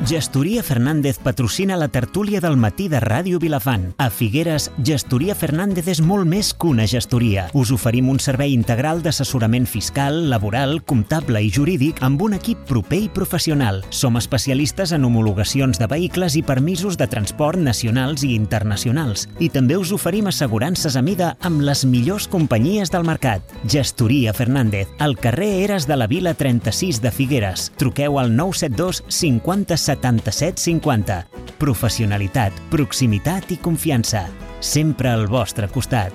Gestoria Fernández patrocina la tertúlia del matí de Ràdio Vilafant. A Figueres, Gestoria Fernández és molt més que una gestoria. Us oferim un servei integral d'assessorament fiscal, laboral, comptable i jurídic amb un equip proper i professional. Som especialistes en homologacions de vehicles i permisos de transport nacionals i internacionals. I també us oferim assegurances a mida amb les millors companyies del mercat. Gestoria Fernández, al carrer Eres de la Vila 36 de Figueres. Truqueu al 972 50 77 50. Professionalitat, proximitat i confiança. Sempre al vostre costat.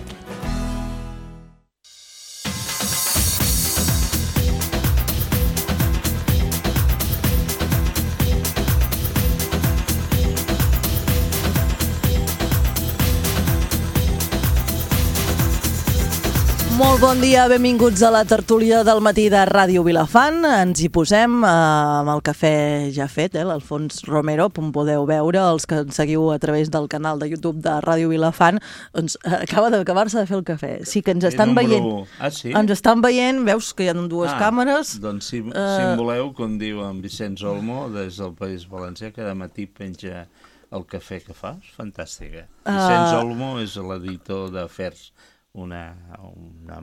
Molt bon dia, benvinguts a la tertúlia del matí de Ràdio Vilafant. Ens hi posem amb el cafè ja fet, l'Alfons Romero, on podeu veure, els que ens seguiu a través del canal de YouTube de Ràdio Vilafant, doncs acaba d'acabar-se de fer el cafè. Sí que ens estan veient. Ah, sí? Ens estan veient, veus que hi ha dues càmeres. Doncs si em voleu, com diu en Vicenç Olmo, des del País Valencià, cada matí penja el cafè que fa. És fantàstica. Vicenç Olmo és l'editor d'Afers, una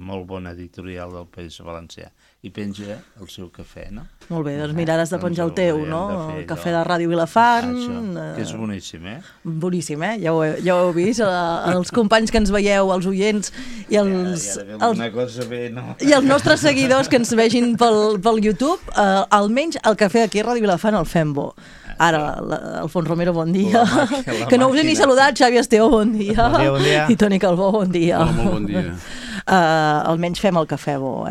molt bona editorial del País Valencià, i penja el seu cafè, no? Molt bé, doncs mira, has de penjar el teu, no? El cafè de Ràdio Vilafant. Això, que és boníssim, Boníssim, ja ho heu vist, els companys que ens veieu, els oients i els nostres seguidors que ens vegin pel YouTube, almenys el cafè aquí a Ràdio Vilafant el fem bo. Ara, Alfons Romero, bon dia. Que no us he ni saludat, Xavi Esteo, bon dia. Bon dia. I Toni Calbó, bon dia. Hola, molt bon dia. Almenys fem el cafè bo,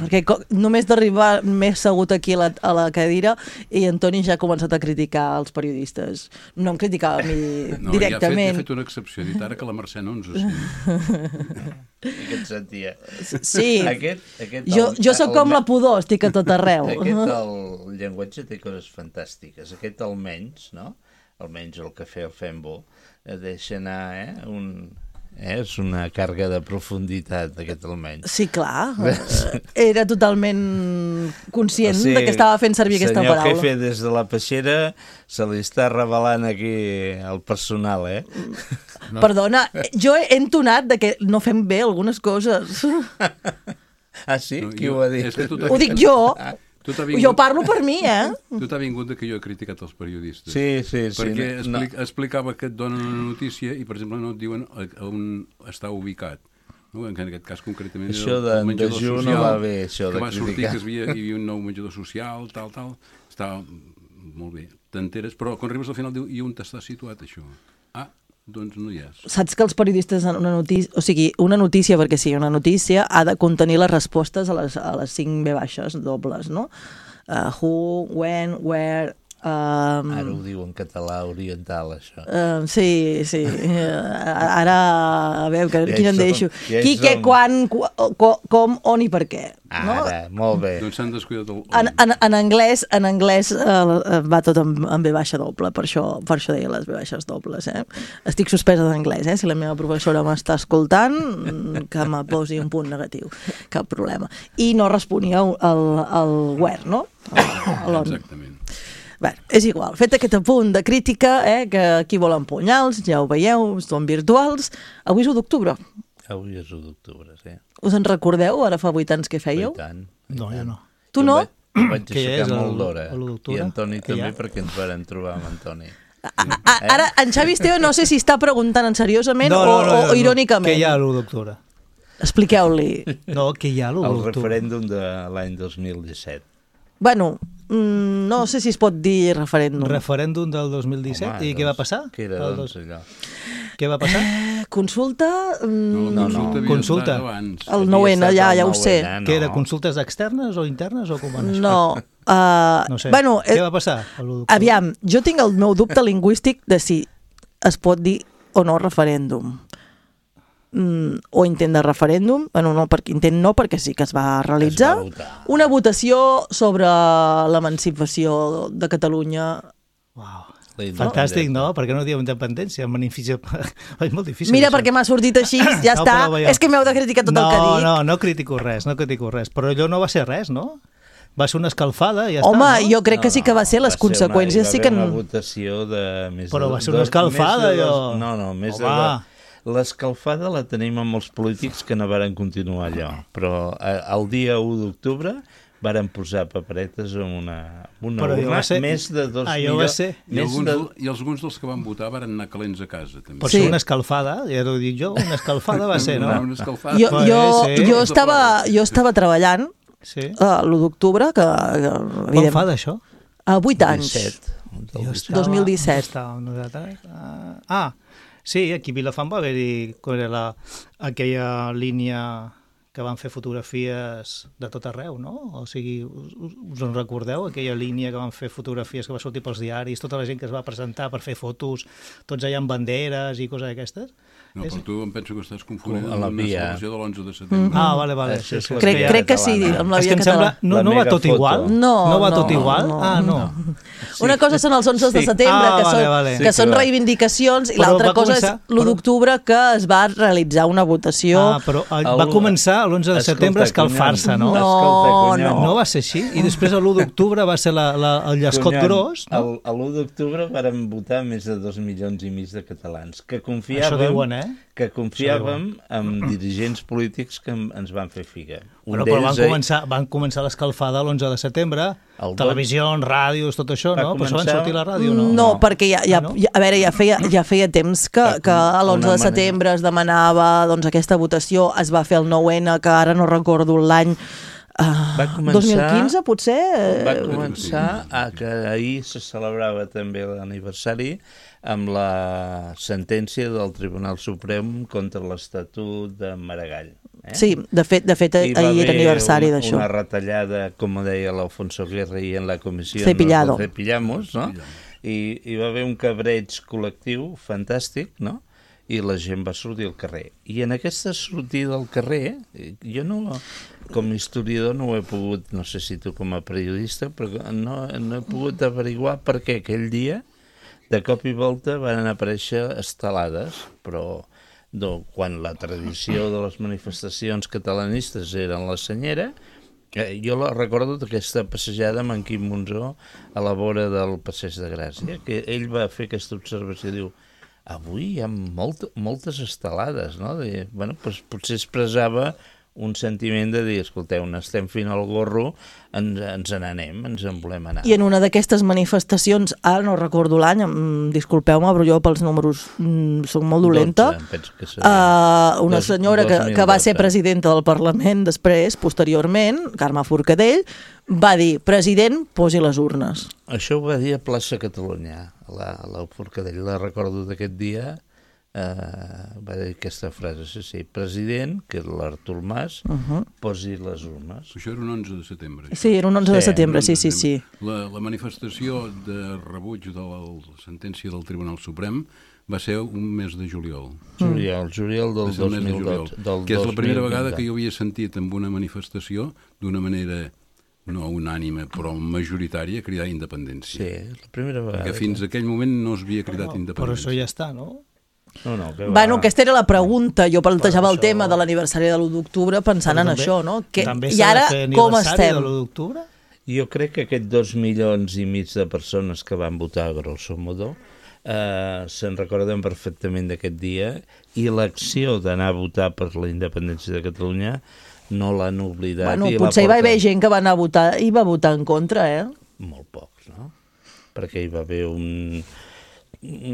perquè només d'arribar m'he assegut aquí a la cadira i en Toni ja ha començat a criticar els periodistes. No em criticava a mi directament. Ja ha fet una excepció, dit ara que la Mercè no ens ho sent. I que et sentia. Sí, jo sóc com la pudor, estic a tot arreu. El llenguatge té coses fantàstiques. Aquest almenys, no? Almenys el cafè el fem bo, deixa anar, és una càrrega de profunditat, aquest almenys. Sí, clar. Era totalment conscient de que estava fent servir aquesta paraula. Senyor jefe, des de la peixera se li està revelant aquí el personal, No. Perdona, jo he entonat de que no fem bé algunes coses. Ah, sí? Qui ho ha dit? Ho dic jo. Jo parlo per mi, Tu t'ha vingut que jo he criticat els periodistes. Sí. Perquè explicava que et donen una notícia i, per exemple, no et diuen on està ubicat. En aquest cas, concretament, això de dejú no va bé, això de criticar. Que va sortir que hi havia un nou menjador social, tal. Estava molt bé. T'enteres, però quan arribes al final diu, i on està situat, això? Doncs no hi és. Saps que els periodistes en una notícia, o sigui, una notícia, perquè sigui una notícia, ha de contenir les respostes a les 5 V baixes dobles, no? Who, when, where... Ara ho diu en català oriental, això. Sí. Ara, a veure, quin en deixo. Qui, què, quan, com, on i per què. Ara, molt bé. Doncs s'han descuidat en anglès va tot en V baixa doble, per això deia les V baixes dobles. Estic suspesa d'anglès, si la meva professora m'està escoltant, que me posi un punt negatiu, cap problema. I no responia al where, no? Exactament. Bé, és igual, fet aquest apunt de crítica, que aquí volen punyals, ja ho veieu, són virtuals. Avui és 1 d'octubre. Avui és 1 d'octubre, sí. Us en recordeu? Ara fa 8 anys que fèieu? No, jo no. Tu no? Vaig aixecar molt d'hora. I Antoni també, perquè ens vam trobar amb Antoni. Ara, en Xavi Esteo no sé si està preguntant seriosament o irònicament. Què hi ha l'1 d'octubre? Expliqueu-li. No, què hi ha l'1 d'octubre? El referèndum de l'any 2017. Bueno, no sé si es pot dir referèndum. Referèndum del 2017. I què va passar? Què era, doncs, allò? Què va passar? Consulta? No. Consulta. El 9N, ja ho sé. Què era, consultes externes o internes o com van? No. No sé. Bueno, què va passar? Aviam, jo tinc el meu dubte lingüístic de si es pot dir o no referèndum. O intent de referèndum, intent no, perquè sí que es va realitzar una votació sobre l'emancipació de Catalunya. Uau, fantàstic, no? Per què no diem independència? És molt difícil. Mira, perquè m'ha sortit així, ja està. És que m'heu de criticar tot el que dic. No critico res, però allò no va ser res, no? Va ser una escalfada i ja Home, està, no? jo crec que sí que va ser, les conseqüències sí que... Hi va haver una votació de més Però de... va ser una escalfada, jo... No, més de... L'escalfada la tenim amb els polítics que no varen continuar allò, però el dia 1 d'octubre varen posar paperetes en una urna, més de 2 milions... I alguns dels que van votar van anar calents a casa, també. Pot ser una escalfada, ja t'ho dic jo, una escalfada va ser, no? Una escalfada. Jo estava treballant l'1 d'octubre, que quan fa d'això? 8 anys. 2017. Sí, aquí a Vilafant va haver-hi aquella línia que van fer fotografies de tot arreu, no? O sigui, us en recordeu? Aquella línia que van fer fotografies que va sortir pels diaris, tota la gent que es va presentar per fer fotos, tots allà amb banderes i coses d'aquestes? No, però tu em penso que estàs confonent amb la celebració de l'11 de setembre. Ah, vale. Crec que sí, amb la via catalana. No va tot igual? No va tot igual? Ah, no. Una cosa són els 11 de setembre, que són reivindicacions, i l'altra cosa és l'1 d'octubre, que es va realitzar una votació... Ah, però va començar l'11 de setembre a escalfar-se, no? No va ser així? I després l'1 d'octubre va ser el llescot gros? L'1 d'octubre varen votar més de 2 milions i mig de catalans, que confiàvem en dirigents polítics que ens van fer figa. Però van començar l'escalfada l'11 de setembre, televisions, ràdios, tot això, no? Però això van sortir a la ràdio, no? No, perquè ja feia temps que l'11 de setembre es demanava aquesta votació, es va fer el 9N, que ara no recordo l'any, 2015 potser? Va començar que ahir se celebrava també l'aniversari amb la sentència del Tribunal Suprem contra l'Estatut de Maragall. Sí, de fet ahir era aniversari d'això. Una retallada, com deia l'Alfonso Guerra i en la comissió Cepillado. Nos cepillamos, no? I hi va haver un cabreig col·lectiu fantàstic, no? I la gent va sortir al carrer. I en aquesta sortida al carrer, jo no, com a historiador no ho he pogut, no sé si tu com a periodista, però no he pogut averiguar per què aquell dia, de cop i volta, van aparèixer estelades, però quan la tradició de les manifestacions catalanistes eren la senyera, jo la recordo d'aquesta passejada amb en Quim Monzó a la vora del Passeig de Gràcia, que ell va fer aquesta observació, diu, avui hi ha moltes estelades, no? Potser expressava un sentiment de dir, escolteu, estem fent el gorro, ens n'anem, ens en volem anar. I en una d'aquestes manifestacions, ara no recordo l'any, disculpeu-me, però jo pels números soc molt dolenta, 12, penso que seria. Una senyora que va ser presidenta del Parlament després, posteriorment, Carme Forcadell, va dir, president, posi les urnes. Això ho va dir a Plaça Catalunya, la Forcadell, la recordo d'aquest dia, va dir aquesta frase, sí, president, que és l'Artur Mas, posi les urnes. Això era un 11 de setembre. Sí, era un 11 de setembre, sí. La manifestació de rebuig de la sentència del Tribunal Suprem va ser un mes de juliol. Juliol del 2012. Que és la primera vegada que jo havia sentit en una manifestació, d'una manera no unànime, però majoritària, cridar independència. Sí, la primera vegada. Perquè fins a aquell moment no es havia cridat independència. Però això ja està, no? Bueno, aquesta era la pregunta. Jo plantejava el tema de l'aniversari de l'1 d'octubre pensant en això, no? I ara com estem? Jo crec que aquests 2 milions i mig de persones que van votar, grosso modo, se'n recorden perfectament d'aquest dia, i l'acció d'anar a votar per la independència de Catalunya no l'han oblidat. Bueno, potser hi va haver gent que va anar a votar i va votar en contra, Molt pocs, no? Perquè hi va haver un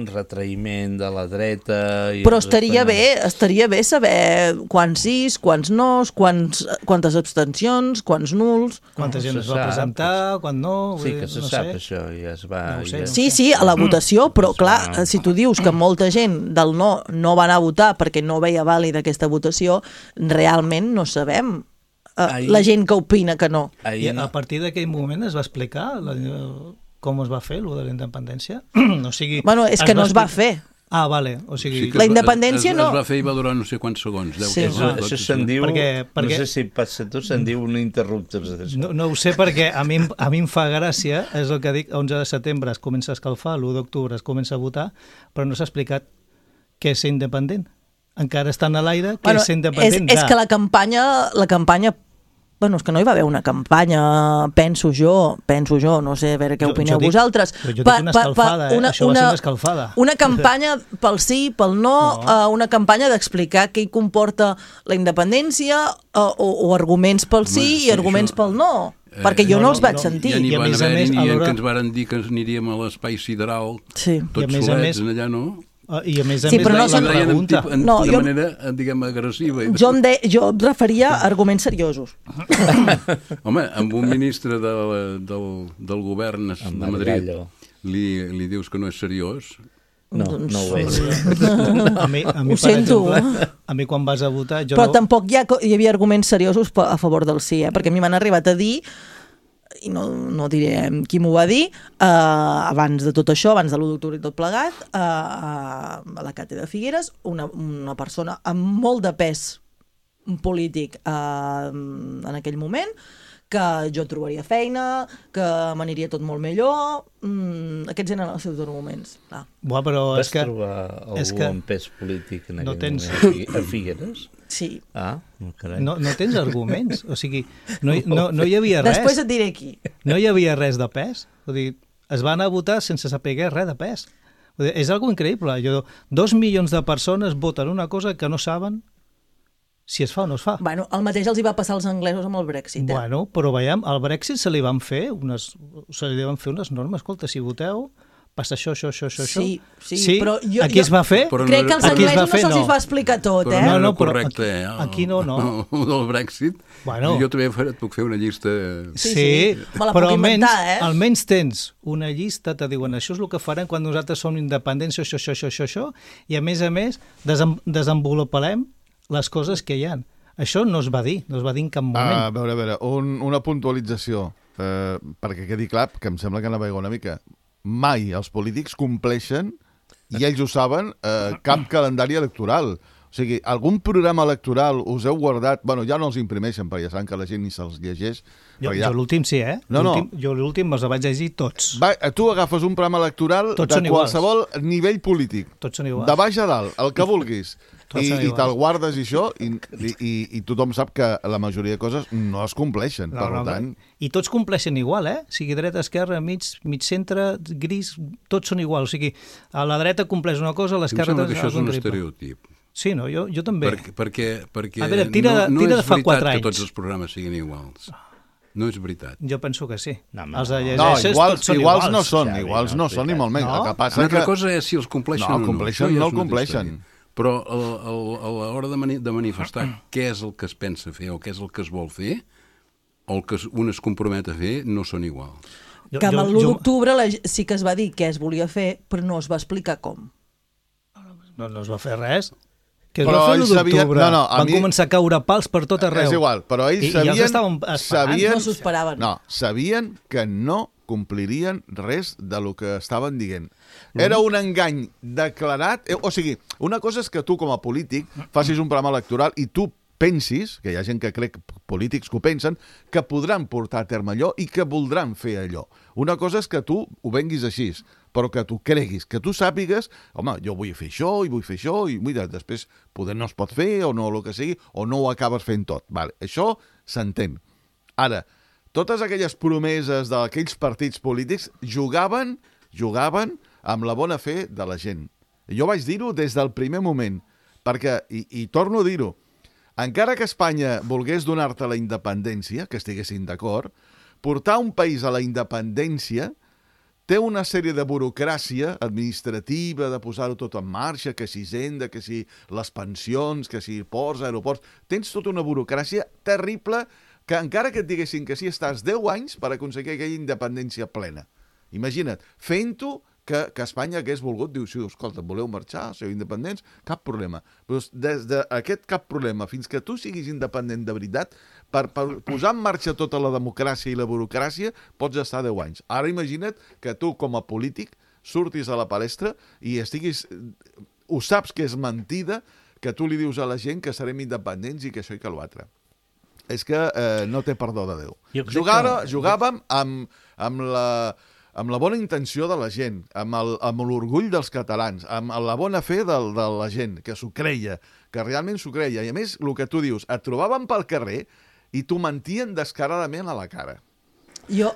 retraïment de la dreta... Però estaria bé saber quants sís, quants nos, quantes abstencions, quants nuls... Quanta gent es va presentar, quan no... Sí, que se sap això, ja es va... Sí, a la votació, però clar, si tu dius que molta gent del no va anar a votar perquè no veia vàlida aquesta votació, realment no sabem la gent que opina que no. I a partir d'aquell moment es va explicar com es va fer, allò de la independència? Bueno, és que no es va fer. Ah, vale. O sigui, la independència no... Es va fer i va durar no sé quants segons. Això se'n diu, no sé si passa tu, se'n diu un interruptor. No ho sé perquè a mi em fa gràcia, és el que dic, 11 de setembre es comença a escalfar, l'1 d'octubre es comença a votar, però no s'ha explicat què és ser independent. Encara estan a l'aire, què és ser independent. És que la campanya Bueno, és que no hi va haver una campanya, penso jo, no sé, a veure què opineu vosaltres. Però jo dic una escalfada, això va ser una escalfada. Una campanya pel sí, pel no, una campanya d'explicar què hi comporta la independència o arguments pel sí i arguments pel no. Perquè jo no els vaig sentir. Ja n'hi van haver ni que ens varen dir que ens aniríem a l'espai sideral, tots solets, allà no? I a més sí, però no la pregunta. De manera, diguem, agressiva. Jo em referia a arguments seriosos. Home, amb un ministre del govern de Madrid li dius que no és seriós. No ho és. A mi, ho sento. Exemple, a mi quan vas a votar... Però tampoc hi havia arguments seriosos a favor del sí, perquè a mi m'han arribat a dir, i no diré qui m'ho va dir, abans de tot això, abans de l'1 d'octubre i tot plegat, a la càtedra de Figueres, una persona amb molt de pes polític en aquell moment, que jo trobaria feina, que m'aniria tot molt millor. Aquests eren els seus arguments. Però vas trobar algú amb pes polític en aquell moment a Figueres? Sí. Carai. No tens arguments, o sigui, no hi havia res. Després et diré qui. No hi havia res de pes. Vull dir, es van a votar sense saber res de pes. Vull dir, és algo increïble. 2 milions de persones voten una cosa que no saben si es fa o no es fa. Bueno, el mateix els hi va passar als anglesos amb el Brexit. Bueno, però veiem, al Brexit se li van fer unes normes. Escolta, si voteu, passa això. Sí, però aquí es va fer? Crec que als anglesos no se'ls va explicar tot, però no correcte, aquí no. Del Brexit, jo també et puc fer una llista... Sí, però almenys tens una llista, te diuen, això és el que farem quan nosaltres som independents, això, i a més, desenvoluparem les coses que hi ha. Això no es va dir en cap moment. A veure, una puntualització, perquè quedi clar, que em sembla que anava una mica. Mai els polítics compleixen, i ells ho saben, cap calendari electoral. O sigui, algun programa electoral us heu guardat... Bueno, ja no els imprimeixen, perquè ja saben que la gent ni se'ls llegeix. Jo l'últim sí, Jo l'últim me'ls vaig llegir tots. Tu agafes un programa electoral de qualsevol nivell polític. Tots són iguals. De baix a dalt, el que vulguis. I te'l guardes i això, i tothom sap que la majoria de coses no es compleixen, per tant... I tots compleixen igual, O sigui, dreta, esquerra, mig centre, gris, tots són iguals. O sigui, a la dreta compleix una cosa, a l'esquerra... Em sembla que això és un estereotip. Sí, no? Jo també. Perquè a veure, tira de fa 4 anys. No és veritat que tots els programes siguin iguals. No és veritat. Jo penso que sí. Iguals no són, ni molt menys. Una altra cosa és si els compleixen o no. No el compleixen. Però a l'hora de manifestar què és el que es pensa fer o què és el que es vol fer, o el que un es compromet a fer, no són iguals. Que amb l'1 d'octubre sí que es va dir què es volia fer, però no es va explicar com. No es va fer res. Que es va fer l'1 d'octubre. Van començar a caure pals per tot arreu. És igual, però ells sabien... No s'ho esperaven. No, sabien que no complirien res de lo que estaven dient. Era un engany declarat... O sigui, una cosa és que tu, com a polític, facis un programa electoral i tu pensis, que hi ha gent que crec, polítics que ho pensen, que podran portar a terme allò i que voldran fer allò. Una cosa és que tu ho venguis així, però que tu creguis, que tu sàpigues, home, jo vull fer això i vull fer això, i mira, després poder no es pot fer, o no, el que sigui, o no ho acabes fent tot. Vale, això s'entén. Ara, totes aquelles promeses d'aquells partits polítics jugaven amb la bona fe de la gent. Jo vaig dir-ho des del primer moment, perquè, i torno a dir-ho, encara que Espanya volgués donar-te la independència, que estiguessin d'acord, portar un país a la independència té una sèrie de burocràcia administrativa, de posar-ho tot en marxa, que si Hisenda, que si les pensions, que si ports, aeroports... Tens tota una burocràcia terrible que encara que et diguessin que sí, estàs 10 anys per aconseguir aquella independència plena. Imagina't, fent-ho que Espanya hagués volgut, diu, sí, escolta, voleu marxar, sou independents, cap problema. Però des d'aquest cap problema fins que tu siguis independent de veritat, per posar en marxa tota la democràcia i la burocràcia, pots estar 10 anys. Ara imagina't que tu, com a polític, surtis a la palestra i estiguis... Ho saps que és mentida, que tu li dius a la gent que serem independents i que això i que l'altre. És que no té perdó de Déu. Jugàvem amb la bona intenció de la gent, amb l'orgull dels catalans, amb la bona fe de la gent, que s'ho creia, que realment s'ho creia. I a més, el que tu dius, et trobàvem pel carrer i t'ho mentien descaradament a la cara. Jo,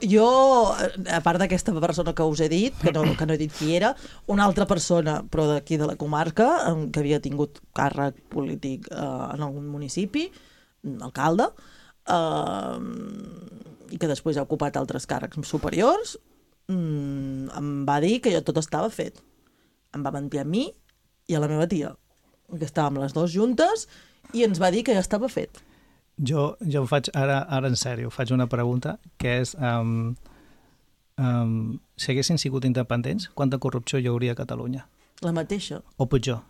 a part d'aquesta persona que us he dit, que no he dit qui era, una altra persona, però d'aquí de la comarca, que havia tingut càrrec polític en algun municipi, alcalde, i que després ha ocupat altres càrrecs superiors, em va dir que ja tot estava fet. Em va mentir a mi i a la meva tia, que estàvem les dues juntes, i ens va dir que ja estava fet. Jo faig, ara en sèrio, faig una pregunta, que és, si haguessin sigut independents, quanta corrupció hi hauria a Catalunya? La mateixa. O pitjor?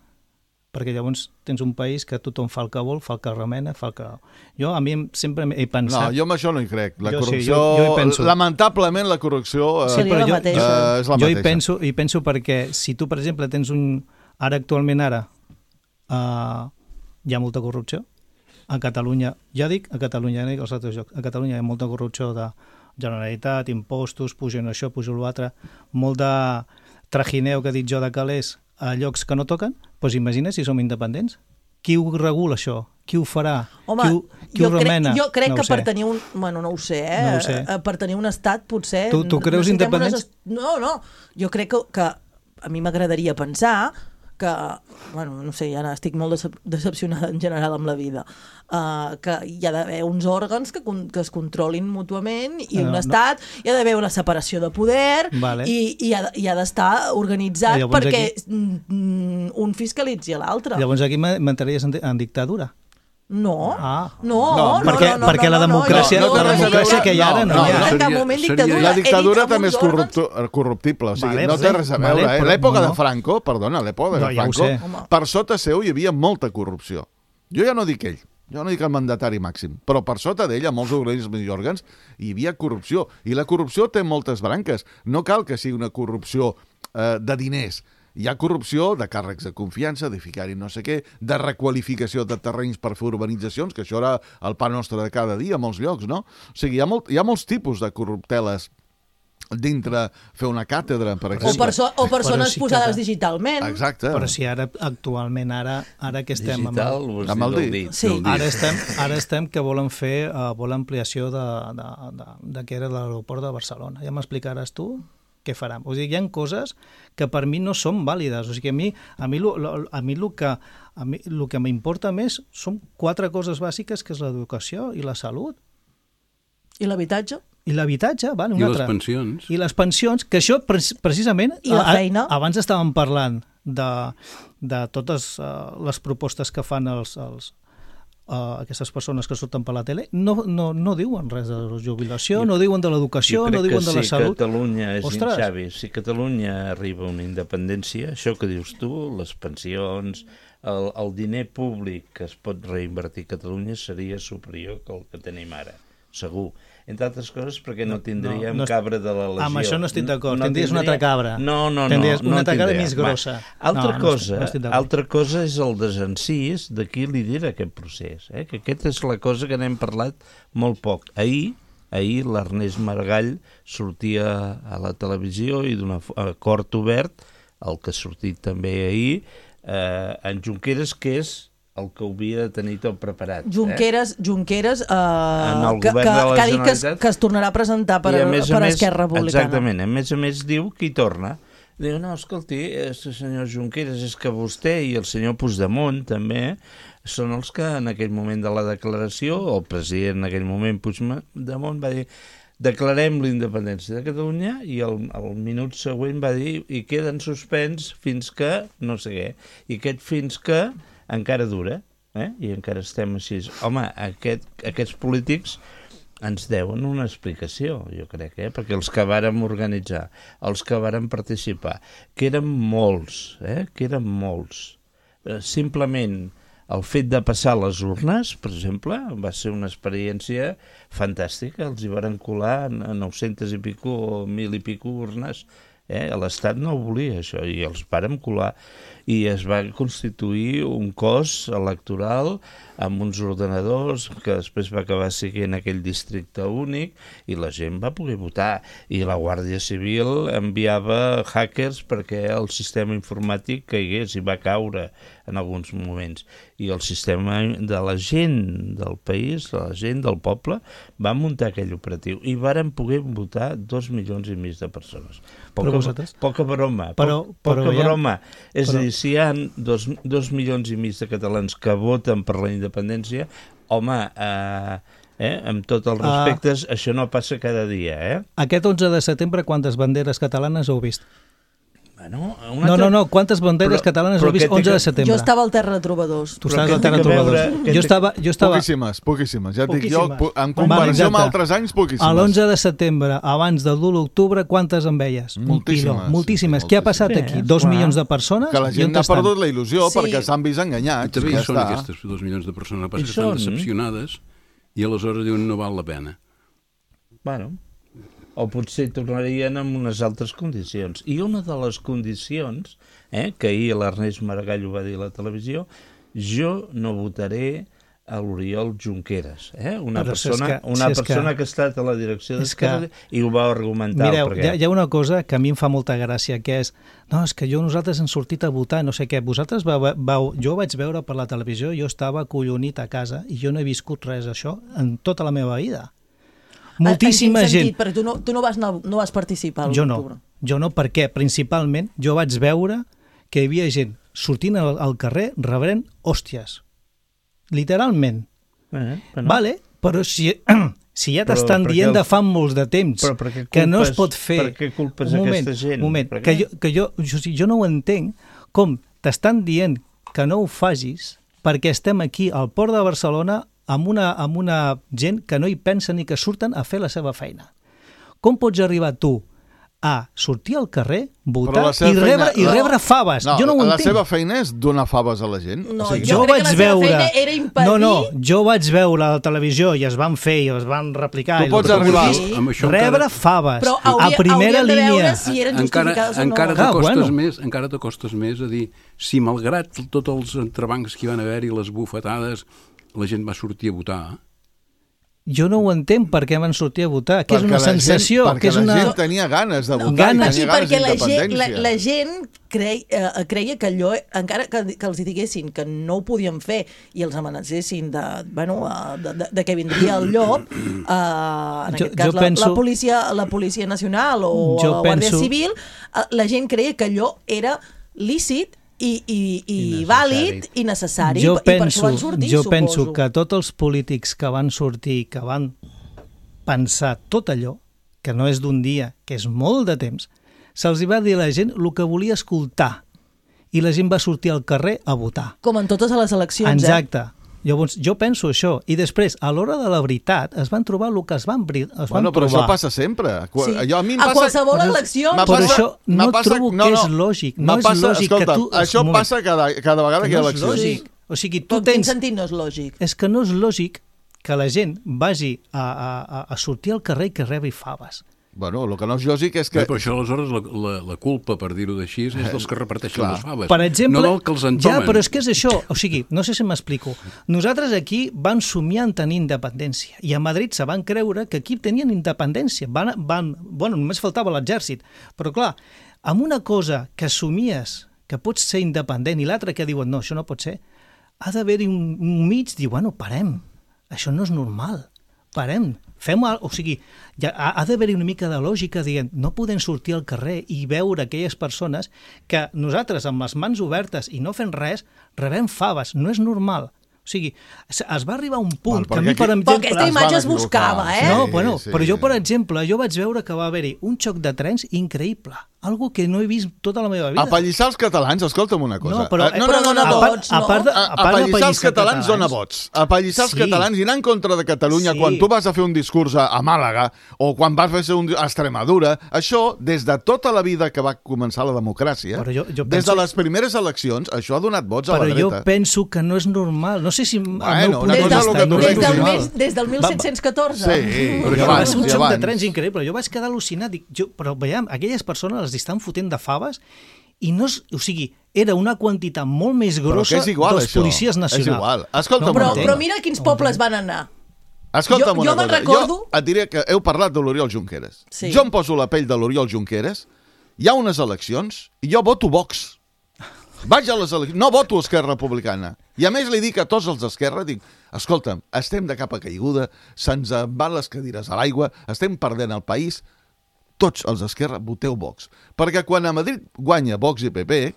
Perquè llavors tens un país que tothom fa el que vol, fa el que remena, fa el que... Jo, a mi sempre he pensat... No, jo amb això no hi crec. La Jo sí, corrupció... jo hi penso. Lamentablement, la corrupció... Seria la mateixa. És la Jo mateixa. hi penso perquè si tu, per exemple, tens actualment hi ha molta corrupció, a Catalunya, ja dic a Catalunya, no dic als altres llocs, a Catalunya hi ha molta corrupció de Generalitat, impostos, pugen això, pugen l'altre, molt de trajineu que he dit jo de calés a llocs que no toquen, doncs imagina si som independents. Qui ho regula això? Qui ho farà? Home, qui ho remena? Jo crec no que per tenir un... Bueno, no ho sé, No ho sé. Per tenir un estat, potser... Tu creus independents? No, jo crec que a mi m'agradaria pensar que, bueno, no sé, ja estic molt decepcionada en general amb la vida, que hi ha d'haver uns òrgans que es controlin mútuament i un estat, hi ha d'haver una separació de poder i ha d'estar organitzat perquè un fiscalitzi a l'altre. Llavors aquí m'entraries en dictadura? No, perquè la democràcia que hi ha ara no hi ha. En cap moment dictadura. La dictadura també és corruptible, o sigui, no té res a veure. A l'època de Franco, perdona, a l'època de Franco, per sota seu hi havia molta corrupció. Jo ja no dic ell, jo no dic el mandatari màxim, però per sota d'ell, a molts organismes i òrgans, hi havia corrupció. I la corrupció té moltes branques. No cal que sigui una corrupció de diners. Hi ha corrupció de càrrecs de confiança, de ficar-hi no sé què, de requalificació de terrenys per fer urbanitzacions, que això era el pa nostre de cada dia a molts llocs, no? O sigui, hi ha molts tipus de corrupteles dintre fer una càtedra, per exemple. O persones posades digitalment. Exacte. Però si actualment que estem... Digital, amb el dit. Sí. Ara estem que volen fer ampliació de que era l'aeroport de Barcelona. Ja m'explicaràs tu què faran. O sigui, hi ha coses que per mi no són vàlides. O sigui, a mi el que m'importa més són 4 coses bàsiques, que és l'educació i la salut. I l'habitatge? I l'habitatge, vale, I les pensions. I les pensions, que això precisament... I la feina. Abans estàvem parlant de totes les propostes que fan aquestes persones que surten per la tele, no diuen res de la jubilació, no diuen de l'educació, no diuen de la salut. Catalunya és Xavi, si Catalunya arriba a una independència, això que dius tu, les pensions, el diner públic que es pot reinvertir a Catalunya seria superior que el que tenim ara, segur. Entre altres coses perquè no tindríem cabra de la legió. Amb això no estic d'acord, tindries una altra cabra. No tindries una altra cabra més grossa. Altra cosa és el desencís de qui lidera aquest procés, que aquesta és la cosa que n'hem parlat molt poc. Ahir l'Ernest Maragall sortia a la televisió i d'un acord obert, el que ha sortit també ahir, en Junqueras, que és el que havia de tenir tot preparat. Junqueras que ha dit que es tornarà a presentar per Esquerra Republicana. Exactament, a més diu que hi torna. Diu, no, escolti, senyor Junqueras, és que vostè i el senyor Puigdemont també són els que en aquell moment de la declaració, el president en aquell moment Puigdemont va dir declarem la independència de Catalunya i el minut següent va dir i queda en suspens fins que no sé què. I aquest fins que encara dura, i encara estem així. Home, aquests polítics ens deuen una explicació, jo crec, perquè els que vàrem organitzar, els que vàrem participar, que eren molts, simplement el fet de passar les urnes, per exemple, va ser una experiència fantàstica, els hi varen colar a 900 i pico o 1.000 i pico urnes, L'Estat no ho volia, això, i els vàrem colar. I es va constituir un cos electoral amb uns ordenadors que després va acabar sent aquell districte únic i la gent va poder votar. I la Guàrdia Civil enviava hackers perquè el sistema informàtic caigués i va caure en alguns moments. I el sistema de la gent del país, la gent del poble, va muntar aquell operatiu i varen poder votar 2,5 milions de persones. Poca broma. Poca broma. És a dir, si hi ha 2,5 milions de catalans que voten per la independència, home, amb tots els respectes, això no passa cada dia, Aquest 11 de setembre, quantes banderes catalanes heu vist? No, quantes banderes catalanes heu vist 11 de setembre? Jo estava al Terra de Trobadors. Tu estaves al Terra de Trobadors. Jo estava... Poquíssimes. Ja et dic jo, en comparació amb altres anys, poquíssimes. A l'11 de setembre, abans del 1 d'octubre, quantes en veies? Moltíssimes. Què ha passat aquí? 2 milions de persones? Que la gent ha perdut la il·lusió perquè s'han vist enganyats. També són aquestes 2 milions de persones que estan decepcionades i aleshores diuen no val la pena. Bueno... o potser tornarien en unes altres condicions. I una de les condicions, que ahir l'Ernest Maragall ho va dir a la televisió, jo no votaré a l'Oriol Junqueras, una persona que ha estat a la direcció d'Esquerra i ho va argumentar. Mireu, hi ha una cosa que a mi em fa molta gràcia, que és, és que nosaltres hem sortit a votar, no sé què, vosaltres jo vaig veure per la televisió, jo estava acollonit a casa i jo no he viscut res d'això en tota la meva vida. Moltíssima gent. Perquè tu no vas participar a l'octubre. Jo no, perquè principalment jo vaig veure que hi havia gent sortint al carrer rebrent hòsties. Literalment. Vale, però si ja t'estan dient de fa molts de temps que no es pot fer... Per què culpes aquesta gent? Un moment, que jo no ho entenc, com t'estan dient que no ho facis perquè estem aquí al port de Barcelona amb una gent que no hi pensa ni que surten a fer la seva feina. Com pots arribar tu a sortir al carrer, votar i rebre faves? Jo no ho entenc. La seva feina és donar faves a la gent? No, jo crec que la seva feina era impedir... Jo vaig veure a la televisió i es van fer i es van replicar. Tu pots arribar rebre faves a primera línia. Si eren justificades o no. Encara t'acostes més a dir si malgrat tots els entrebancs que hi van haver i les bufetades la gent va sortir a votar. Jo no ho entenc per què van sortir a votar, que és una sensació. Perquè la gent tenia ganes de votar, tenia ganes d'independència. La gent creia que allò, encara que els diguessin que no ho podien fer i els amenacessin de que vindria el llop, en aquest cas la Policia Nacional o la Guàrdia Civil, la gent creia que allò era lícit i vàlid i necessari, i per això van sortir, suposo. Jo penso que tots els polítics que van sortir, que van pensar tot allò, que no és d'un dia, que és molt de temps, se'ls va dir a la gent el que volia escoltar, i la gent va sortir al carrer a votar. Com en totes les eleccions, Exacte. Llavors, jo penso això, i després, a l'hora de la veritat, es van trobar el que es van trobar. Però això passa sempre. Sí. A qualsevol elecció... Però això no trobo que és lògic. No és lògic que tu... Això passa cada vegada que hi ha eleccions. No és lògic. O sigui, tu tens... En quin sentit no és lògic? És que no és lògic que la gent vagi a sortir al carrer i que rebi faves. Bueno, el que no és lògic és que... Però això, aleshores, la culpa, per dir-ho d'així, és dels que reparteixen les faves. Per exemple, no del que els entomen. Ja, però és que és això. O sigui, no sé si m'explico. Nosaltres aquí vam somiar en tenir independència i a Madrid se van creure que aquí tenien independència. Només faltava l'exèrcit. Però clar, amb una cosa que somies que pots ser independent i l'altra que diuen no, això no pot ser, ha d'haver-hi un mig, dir, parem, això no és normal, parem. O sigui, ha d'haver-hi una mica de lògica dient, no podem sortir al carrer i veure aquelles persones que nosaltres amb les mans obertes i no fent res, rebem faves, no és normal. O sigui, es va arribar a un punt que a mi, per exemple... Però aquesta imatge es buscava, No, però jo, per exemple, vaig veure que va haver-hi un xoc de trens increïble. Algo que no he vist tota la meva vida. Apallissar els catalans, escolta'm una cosa. Però dona vots, no? Apallissar els catalans dona vots. Apallissar els catalans i anar en contra de Catalunya quan tu vas a fer un discurs a Màlaga o quan vas a fer un a Extremadura, això, des de tota la vida que va començar la democràcia, des de les primeres eleccions, això ha donat vots a la dreta. Però jo penso que no és normal. No sé si... Des del 1714. Sí. Va ser un xoc de trens increïble. Jo vaig quedar al·lucinat. Però veiem, aquelles persones els estan fotent de faves i no és, o sigui, era una quantitat molt més grossa però que és igual, dels això. policies nacionals. És igual. Escolta'm, Però mira a quins pobles van anar. Escolta'm Jo una me'n cosa. recordo... Jo et diré que heu parlat de l'Oriol Junqueras. Sí. Jo em poso la pell de l'Oriol Junqueras, hi ha unes eleccions i jo voto Vox. Vaig a les eleccions, no voto Esquerra Republicana. I a més li dic a tots els d'Esquerra, dic, escolta'm, estem de capa caiguda, se'ns en van les cadires a l'aigua, estem perdent el país, tots els d'Esquerra voteu Vox. Perquè quan a Madrid guanya Vox i PP,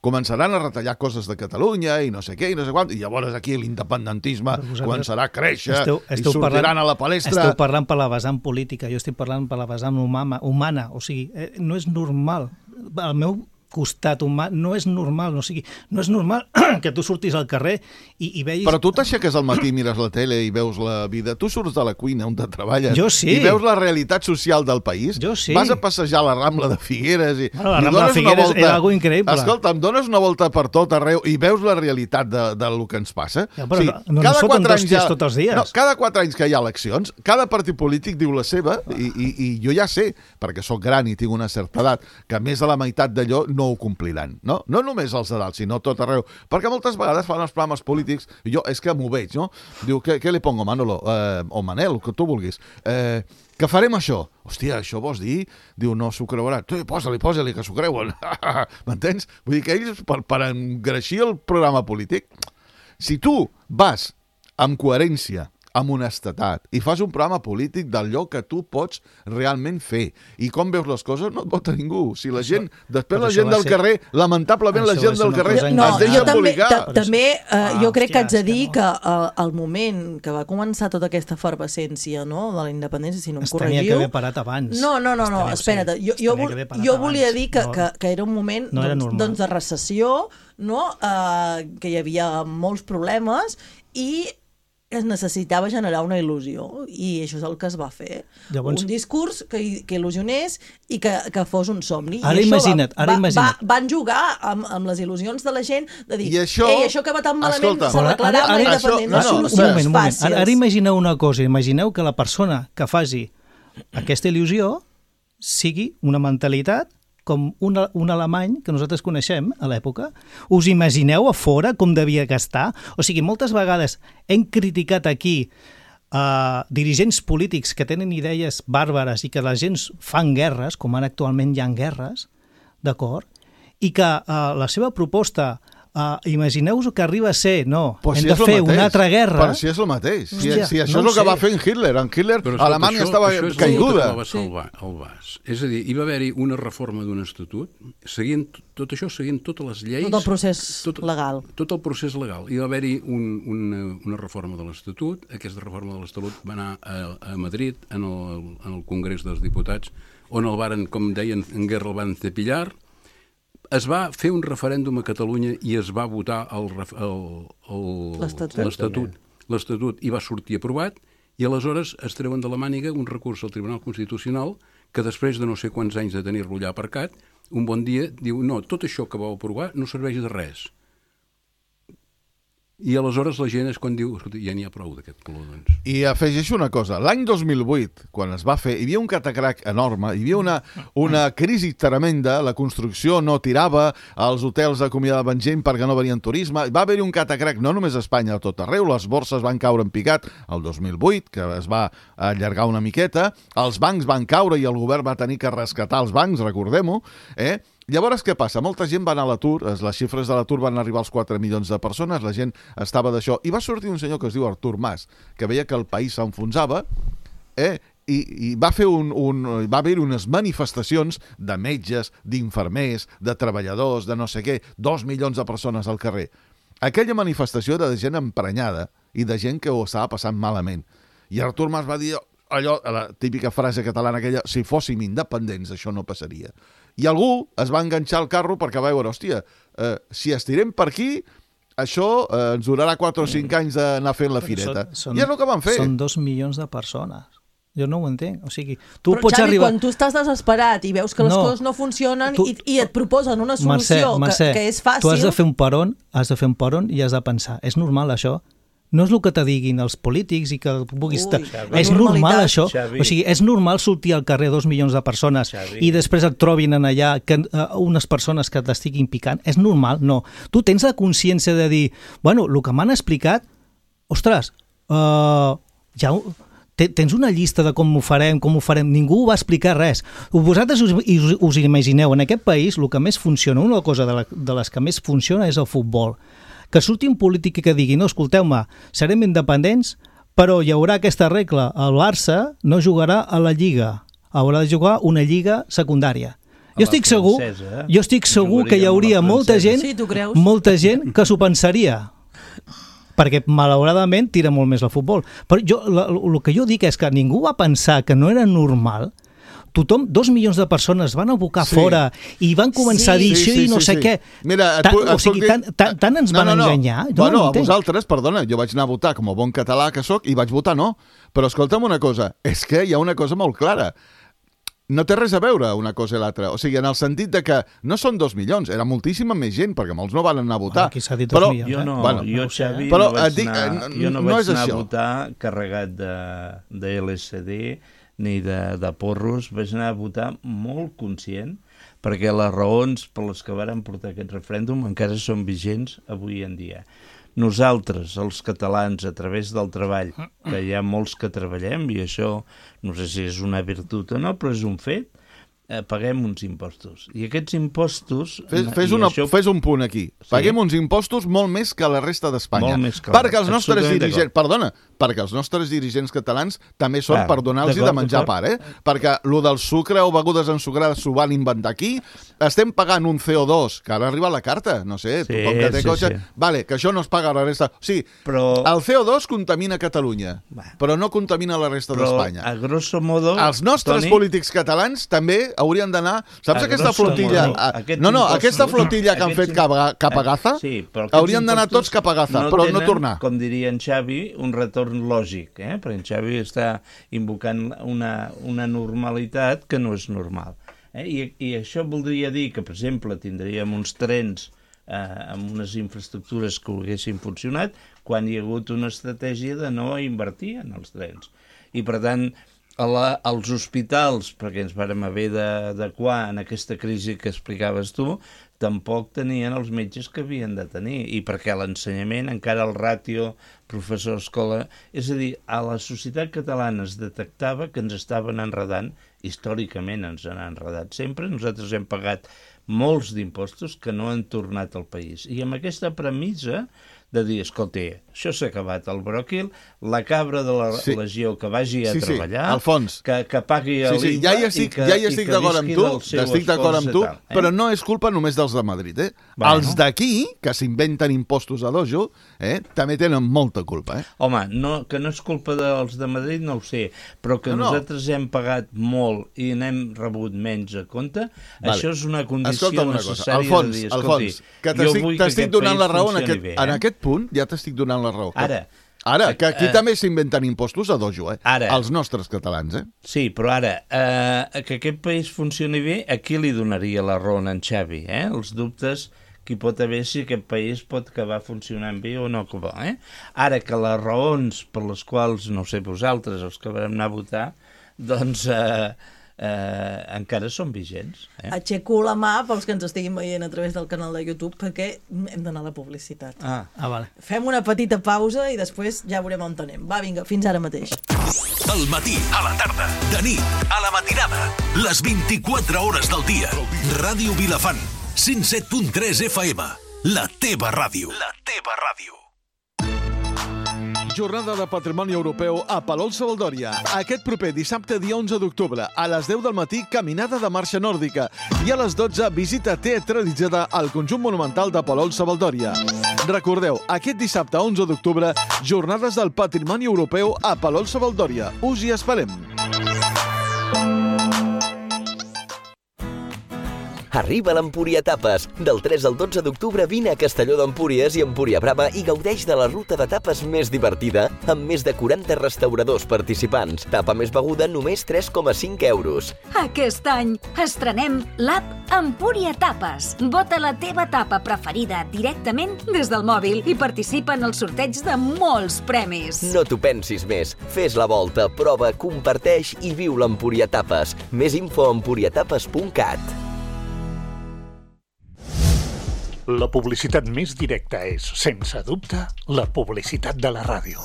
començaran a retallar coses de Catalunya i no sé què i no sé quant, i llavors aquí l'independentisme començarà a créixer i sortiran a la palestra. Esteu parlant per la vessant política, jo estic parlant per la vessant humana, o sigui, no és normal. El meu costat humà no és normal, no és normal que tu surtis al carrer i veis... Però tu t'aixeques al matí, mires la tele i veus la vida, tu surts de la cuina on te treballes i veus la realitat social del país, vas a passejar a la Rambla de Figueres i la Rambla de Figueres és algo increïble. Escolta, em dones una volta per tot arreu i veus la realitat del que ens passa. Ja, però no foten dos dies tots els dies. No, cada 4 anys que hi ha eleccions, cada partit polític diu la seva i jo ja sé, perquè sóc gran i tinc una certa edat, que més de la meitat d'allò no ho compliran, no? No només els de dalt, sinó tot arreu. Perquè moltes vegades fan els programes polítics, i jo és que m'ho veig, no? Diu, què li pongo, Manolo? O Manel, el que tu vulguis. Que farem això? Hòstia, això vols dir? Diu, no s'ho creuran. Tu, posa-li, que s'ho creuen. M'entens? Vull dir que ells, per engreixir el programa polític, si tu vas amb coherència, amb honestedat, i fas un programa polític d'allò que tu pots realment fer. I com veus les coses, no et vota ningú. Si la gent, després la gent del carrer, lamentablement la gent del carrer es deixa embolicar. També jo crec que haig de dir que al moment que va començar tota aquesta efervescència, no, de la independència, si no em corregiu... Es tenia que haver parat abans. No, espera't. Jo volia dir que era un moment de recessió, que hi havia molts problemes i es necessitava generar una il·lusió i això és el que es va fer. Llavors, un discurs que il·lusionés i que fos un somni. Ara imagina't. Van jugar amb les il·lusions de la gent de dir, això que va tan malament s'arreglarà amb la independència. Un moment. Ara imagineu una cosa, imagineu que la persona que faci aquesta il·lusió sigui una mentalitat com un alemany que nosaltres coneixem a l'època. Us imagineu a fora com devia gastar? O sigui, moltes vegades hem criticat aquí dirigents polítics que tenen idees bàrbares i que la gent fan guerres, com ara actualment hi ha guerres, d'acord? I que la seva proposta... imagineu-vos que arriba a ser, hem de fer una altra guerra... Però si és el mateix. Si això és el que va fer en Hitler. En Hitler, Alemanya estava caiguda. Això és el que va salvar el vas. És a dir, hi va haver-hi una reforma d'un estatut, tot això seguint totes les lleis... Tot el procés legal. Tot el procés legal. Hi va haver-hi una reforma de l'Estatut. Aquesta reforma de l'Estatut va anar a Madrid, en el Congrés dels Diputats, on el varen, com deien, en guerra el van cepillar. Es va fer un referèndum a Catalunya i es va votar l'Estatut i va sortir aprovat i aleshores es treuen de la màniga un recurs al Tribunal Constitucional que després de no sé quants anys de tenir-lo allà aparcat, un bon dia diu, no, tot això que vau aprovar no serveix de res. I aleshores la gent és quan diu, escolta, ja n'hi ha prou d'aquest color, doncs. I afegeixo una cosa, l'any 2008, quan es va fer, hi havia un catacrac enorme, hi havia una crisi tremenda, la construcció no tirava, els hotels acomiadaven gent perquè no venien turisme, va haver-hi un catacrac no només a Espanya, a tot arreu, les borses van caure en picat el 2008, que es va allargar una miqueta, els bancs van caure i el govern va tenir que rescatar els bancs, recordem-ho, Llavors, què passa? Molta gent va anar a l'atur, les xifres de l'atur van arribar als 4 milions de persones, la gent estava d'això, i va sortir un senyor que es diu Artur Mas, que veia que el país s'enfonsava, i va haver unes manifestacions de metges, d'infermers, de treballadors, de no sé què, 2 milions de persones al carrer. Aquella manifestació era de gent emprenyada i de gent que ho estava passant malament. I Artur Mas va dir allò, la típica frase catalana aquella, si fóssim independents això no passaria. I algú es va enganxar al carro perquè va veure, hòstia, si estirem per aquí, això ens durarà 4 o 5 anys d'anar fent la fireta. I és el que van fer. Són 2 milions de persones. Jo no ho entenc. O sigui, tu però, pots Xavi, arribar... quan tu estàs desesperat i veus que les coses no funcionen i et proposen una solució Mercè, que és fàcil... tu has de fer un peron i has de pensar, és normal això? no és el que te diguin els polítics i que puguis... És normalitat. normal això? Xavi. O sigui, és normal sortir al carrer 2 milions de persones Xavi. i després et trobin en allà unes persones que t'estiguin picant? És normal? No. Tu tens la consciència de dir, bueno, el que m'han explicat, ostres, tens una llista de com ho farem, ningú va explicar res. Vosaltres us imagineu, en aquest país el que més funciona, una cosa de les que més funciona és el futbol. Que surti un polític que digui, no, escolteu-me, serem independents, però hi haurà aquesta regla, el Barça no jugarà a la Lliga, haurà de jugar una lliga secundària. Jo estic segur que hi hauria molta gent que s'ho pensaria, perquè malauradament tira molt més el futbol. Però el que jo dic és que ningú va pensar que no era normal. Tothom, 2 milions de persones van abocar fora i van començar a dir això i no sé què. Mira, tant ens van enganyar. Bueno, a vosaltres, perdona, jo vaig anar a votar com a bon català que sóc i vaig votar no. Però escolta'm una cosa, és que hi ha una cosa molt clara. No té res a veure una cosa i l'altra. O sigui, en el sentit de que no són 2 milions, era moltíssima més gent, perquè molts no van anar a votar. Aquí s'ha dit 2 milions. Jo no, jo, Xavi, no vaig anar a votar carregat de LSD ni de porros, vaig anar a votar molt conscient, perquè les raons per les que varen portar aquest referèndum encara són vigents avui en dia. Nosaltres, els catalans, a través del treball, que hi ha molts que treballem, i això no sé si és una virtut o no, però és un fet, paguem uns impostos. I aquests impostos... Fes un punt aquí. Sí? Paguem uns impostos molt més que la resta d'Espanya. Perquè els nostres dirigents... Perdona, perquè els nostres dirigents catalans també són per donar-los de menjar part, Perquè el del sucre o begudes ensucrades s'ho van inventar aquí. Estem pagant un CO2, que ara arriba la carta, no sé, tothom que té cotxe... Vale, que això no es paga a la resta... O sigui, el CO2 contamina Catalunya, però no contamina la resta d'Espanya. A grosso modo... Els nostres polítics catalans també haurien d'anar... Saps aquesta flotilla... Aquesta flotilla que han fet cap a Gaza? Haurien d'anar tots cap a Gaza, però no tornar. Com diria en Xavi, un retorn lògic, perquè en Xavi està invocant una normalitat que no és normal. I això voldria dir que, per exemple, tindríem uns trens amb unes infraestructures que haguessin funcionat quan hi ha hagut una estratègia de no invertir en els trens. I, per tant, als hospitals, perquè ens vàrem haver d'adequar en aquesta crisi que explicaves tu, tampoc tenien els metges que havien de tenir, i perquè l'ensenyament, encara el ràtio professor-escola, és a dir, a la societat catalana es detectava que ens estaven enredant, històricament ens han enredat sempre, nosaltres hem pagat molts d'impostos que no han tornat al país. I amb aquesta premissa de dir, escolta, això s'ha acabat el bròquil, la cabra de la legió que vagi a treballar, Alfons, que pagui ja l'IVA hi estic d'acord amb tu, però no és culpa només dels de Madrid. Els d'aquí, que s'inventen impostos a dojo, també tenen molta culpa. Home, que no és culpa dels de Madrid no ho sé, però que nosaltres hem pagat molt i n'hem rebut menys a compte, això és una condició necessària de dir, Alfons, que t'estic donant la raó en aquest punt, ja t'estic donant la raó. Ara, que aquí també s'inventen impostos a dojo, els nostres catalans, Sí, però ara, que aquest país funcioni bé, aquí li donaria la raó a en Xavi, els dubtes que hi pot haver si aquest país pot acabar funcionant bé o no acabar, Ara que les raons per les quals, no sé, vosaltres, els que vam anar a votar, doncs encara són vigents. Aixeco la mà pels que ens estiguin veient a través del canal de YouTube perquè hem d'anar a la publicitat. Vale. Fem una petita pausa i després ja veurem on anem. Va, vinga, fins ara mateix. Al matí, a la tarda, de nit, a la matinada, les 24 hores del dia. Ràdio Vilafant, 107.3 FM, la teva ràdio. La teva ràdio. Jornada de Patrimoni Europeu a Palol-Savaldòria. Aquest proper dissabte, dia 11 d'octubre, a les 10 del matí, caminada de marxa nòrdica. I a les 12, visita teatralitzada al conjunt monumental de Palol-Savaldòria. Recordeu, aquest dissabte 11 d'octubre, Jornades del Patrimoni Europeu a Palol-Savaldòria. Us hi esperem. Arriba l'Empúria Tapes. Del 3 al 12 d'octubre vine a Castelló d'Empúries i Empúria Brava i gaudeix de la ruta de tapes més divertida amb més de 40 restauradors participants. Tapa més beguda només 3,5 euros. Aquest any estrenem l'app Empúria Tapes. Vota la teva tapa preferida directament des del mòbil i participa en el sorteig de molts premis. No t'ho pensis més. Fes la volta, prova, comparteix i viu l'Empúria Tapes. Més info a empuriatapes.cat. La publicitat més directa és, sense dubte, la publicitat de la ràdio.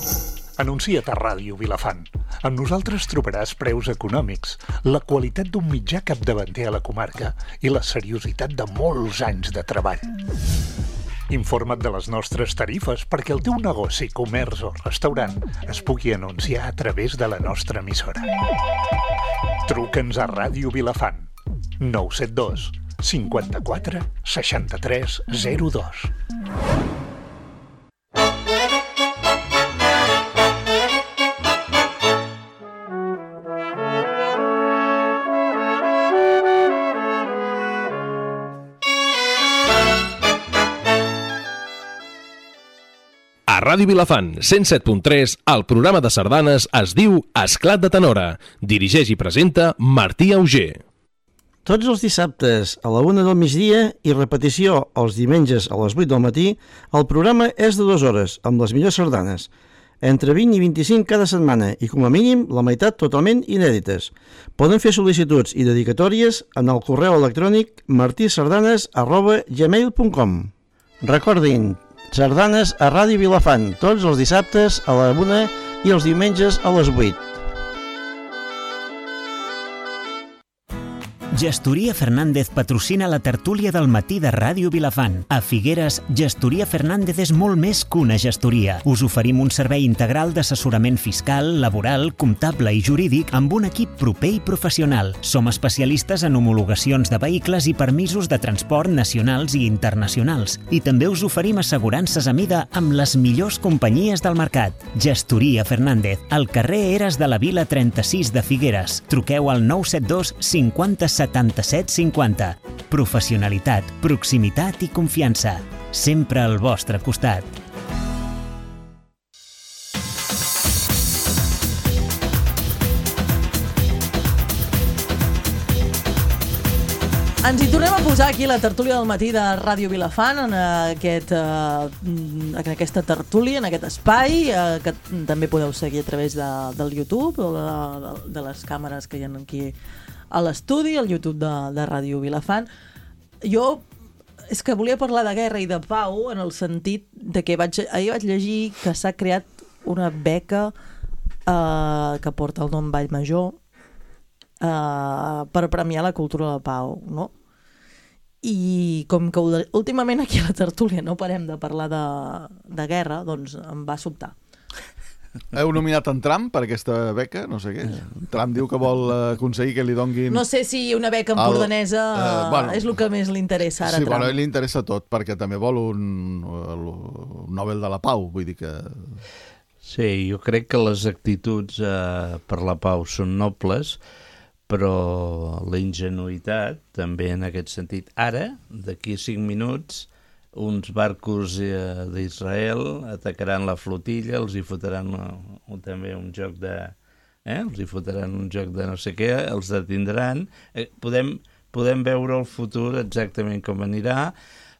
Anuncia't a Ràdio Vilafant. Amb nosaltres trobaràs preus econòmics, la qualitat d'un mitjà capdavanter a la comarca i la seriositat de molts anys de treball. Informa't de les nostres tarifes perquè el teu negoci, comerç o restaurant es pugui anunciar a través de la nostra emissora. Truca'ns a Ràdio Vilafant. 972 54 63 02. A Ràdio Vilafant, 107.3, el programa de sardanes es diu Esclat de Tenora. Dirigeix i presenta Martí Auger. Tots els dissabtes a la 1 del migdia i repetició els diumenges a les 8 del matí, el programa és de 2 hores, amb les millors sardanes. Entre 20 i 25 cada setmana i, com a mínim, la meitat totalment inèdites. Poden fer sol·licituds i dedicatòries en el correu electrònic martisardanes@gmail.com. Recordin, sardanes a Ràdio Vilafant, tots els dissabtes a la 1 i els diumenges a les 8. Gestoria Fernández patrocina la tertúlia del matí de Ràdio Vilafant. A Figueres, Gestoria Fernández és molt més que una gestoria. Us oferim un servei integral d'assessorament fiscal, laboral, comptable i jurídic amb un equip proper i professional. Som especialistes en homologacions de vehicles i permisos de transport nacionals i internacionals. I també us oferim assegurances a mida amb les millors companyies del mercat. Gestoria Fernández, al carrer Eres de la Vila 36 de Figueres. Truqueu al 972 50 77 50. Professionalitat, proximitat i confiança. Sempre al vostre costat. Ens hi tornem a posar aquí la tertúlia del matí de Ràdio Vilafant en aquesta tertúlia, en aquest espai que també podeu seguir a través del YouTube o de les càmeres que hi ha aquí a l'estudi, al YouTube de Ràdio Vilafant. Jo és que volia parlar de guerra i de pau en el sentit de que ahir vaig llegir que s'ha creat una beca que porta el nom Vallmajor per premiar la cultura de la pau, no? I com que últimament aquí a la tertúlia no parem de parlar de guerra, doncs em va sobtar. Heu nominat en Trump per aquesta beca? No sé què. Trump diu que vol aconseguir que li donguin... No sé si una beca empordanesa és el que més li interessa ara a Trump. Sí, bueno, li interessa tot, perquè també vol un Nobel de la Pau, vull dir que... Sí, jo crec que les actituds per la pau són nobles, però la ingenuïtat també en aquest sentit. Ara, d'aquí a 5 minuts, uns barcos d'Israel atacaran la flotilla, els hi fotran també un joc de... els hi fotran un joc de no sé què, els detindran. Podem veure el futur exactament com anirà.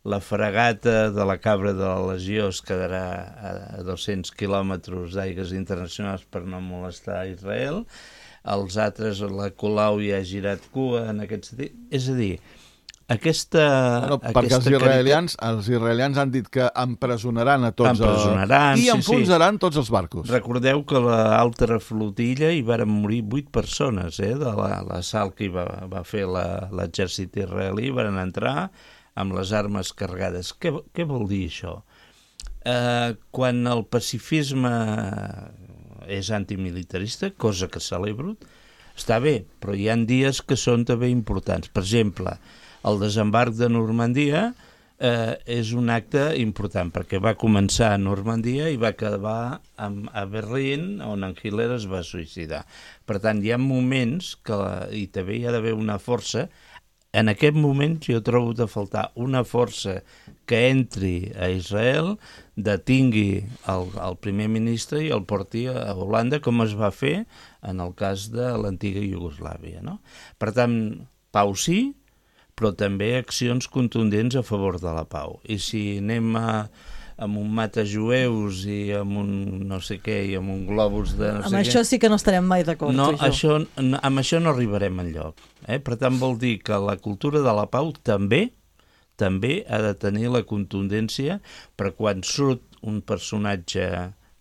La fragata de la Cabra de la Legió es quedarà a 200 quilòmetres d'aigües internacionals per no molestar a Israel. Els altres, la Colau ja ha girat cua en aquest sentit. És a dir, perquè els israelians han dit que empresonaran a tots i enfonsaran tots els barcos. Recordeu que a l'altra flotilla hi varen morir 8 persones de l'assalt que va fer l'exèrcit israelí. Varen entrar amb les armes carregades. Què vol dir això? Quan el pacifisme és antimilitarista, cosa que celebro, està bé, però hi ha dies que són també importants. Per exemple, el desembarc de Normandia és un acte important, perquè va començar a Normandia i va acabar a Berlín, on en Hitler es va suïcidar. Per tant, hi ha moments que, i també hi ha d'haver una força en aquest moment jo trobo de faltar una força que entri a Israel, detingui el primer ministre i el porti a Holanda, com es va fer en el cas de l'antiga Iugoslàvia, no? Per tant, pau sí, però també accions contundents a favor de la pau. I si anem amb un matajueus i amb un no sé què i amb un globus de no sé què... Amb això sí que no estarem mai d'acord. No, amb això no arribarem enlloc. Per tant, vol dir que la cultura de la pau també ha de tenir la contundència per quan surt un personatge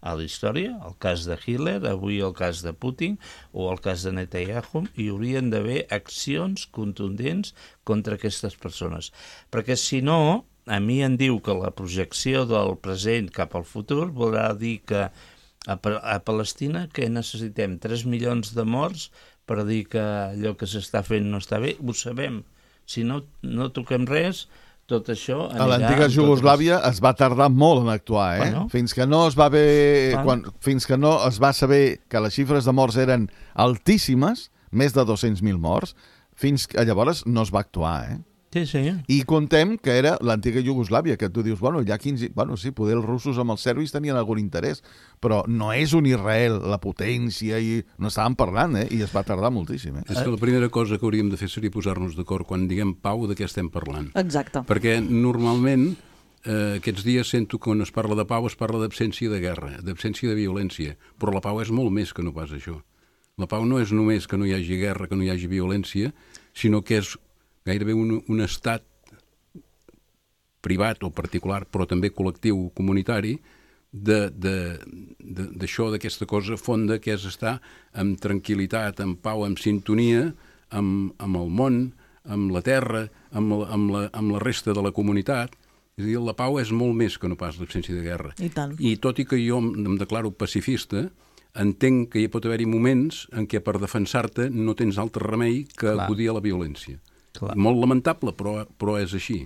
a la història, el cas de Hitler, avui el cas de Putin o el cas de Netanyahu, hi haurien d'haver accions contundents contra aquestes persones. Perquè si no, a mi em diu que la projecció del present cap al futur voldrà dir que a Palestina que necessitem 3 milions de morts per dir que allò que s'està fent no està bé, ho sabem. Si no toquem res, tot això anirà... A l'antiga Iugoslàvia es va tardar molt en actuar, Bueno. Fins que no es va fins que no es va saber que les xifres de morts eren altíssimes, més de 200.000 morts, fins que llavors no es va actuar, Sí. I contem que era l'antiga Iugoslàvia, que tu dius, ja 15... sí, poder els russos amb els serbis tenien algun interès, però no és un Israel, la potència, i no estàvem parlant, i es va tardar moltíssim. És que la primera cosa que hauríem de fer seria posar-nos d'acord quan diguem pau de què estem parlant. Exacte. Perquè normalment aquests dies sento que quan es parla de pau es parla d'absència de guerra, d'absència de violència, però la pau és molt més que no pas això. La pau no és només que no hi hagi guerra, que no hi hagi violència, sinó que és gairebé un estat privat o particular, però també col·lectiu, comunitari, d'això, d'aquesta cosa fonda que és estar amb tranquil·litat, amb pau, amb sintonia, amb el món, amb la terra, amb la resta de la comunitat. És a dir, la pau és molt més que no pas l'absència de guerra. I tant. I tot i que jo em declaro pacifista, entenc que hi pot haver-hi moments en què per defensar-te no tens altre remei que acudir a la violència. Clar. Molt lamentable, però és així.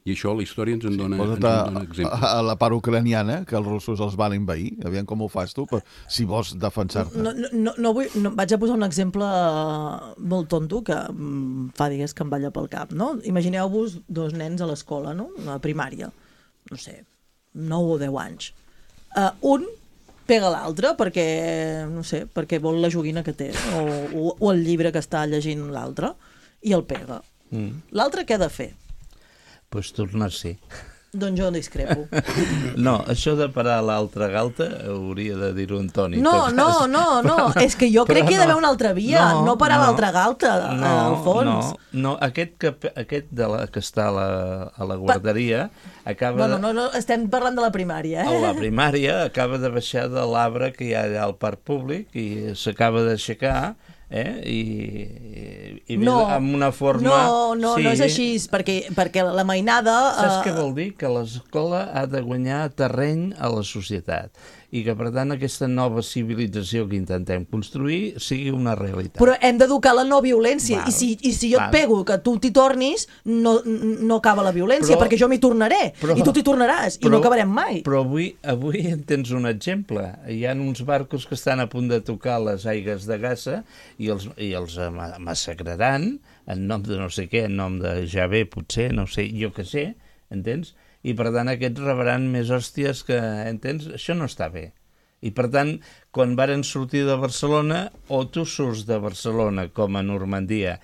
I això la història ens en dona exemples. A la part ucraniana, que els russos els van invair, aviam com ho fas tu, si vols defensar-te. Vaig a posar un exemple molt tonto que fa digues que em balla pel cap, no? Imagineu-vos 2 nens a l'escola, no? A primària, no sé, 9 o 10 anys. Un pega l'altre perquè, no sé, perquè vol la joguina que té o el llibre que està llegint l'altre i el pega. L'altre què ha de fer? Doncs tornar-s'hi. Doncs jo discrepo. No, això de parar l'altra galta hauria de dir-ho en Toni. No, és que jo crec que hi ha d'haver una altra via, no parar l'altra galta, al fons. No, aquest que està a la guarderia acaba de... No, estem parlant de la primària, A la primària acaba de baixar de l'arbre que hi ha allà al parc públic i s'acaba d'aixecar i amb una forma... No és així, perquè la mainada... Saps què vol dir? Que l'escola ha de guanyar terreny a la societat i que, per tant, aquesta nova civilització que intentem construir sigui una realitat. Però hem d'educar la no violència, i si jo et pego que tu t'hi tornis, no acaba la violència, perquè jo m'hi tornaré, i tu t'hi tornaràs, i no acabarem mai. Però avui en tens un exemple. Hi ha uns barcos que estan a punt de tocar les aigues de Gaza i els massacraran en nom de no sé què, en nom de Javé, potser, no sé, jo què sé, entens? I per tant aquests rebran més hòsties que, entens? Això no està bé. I per tant, quan varen sortir de Barcelona, o tu surts de Barcelona com a Normandia,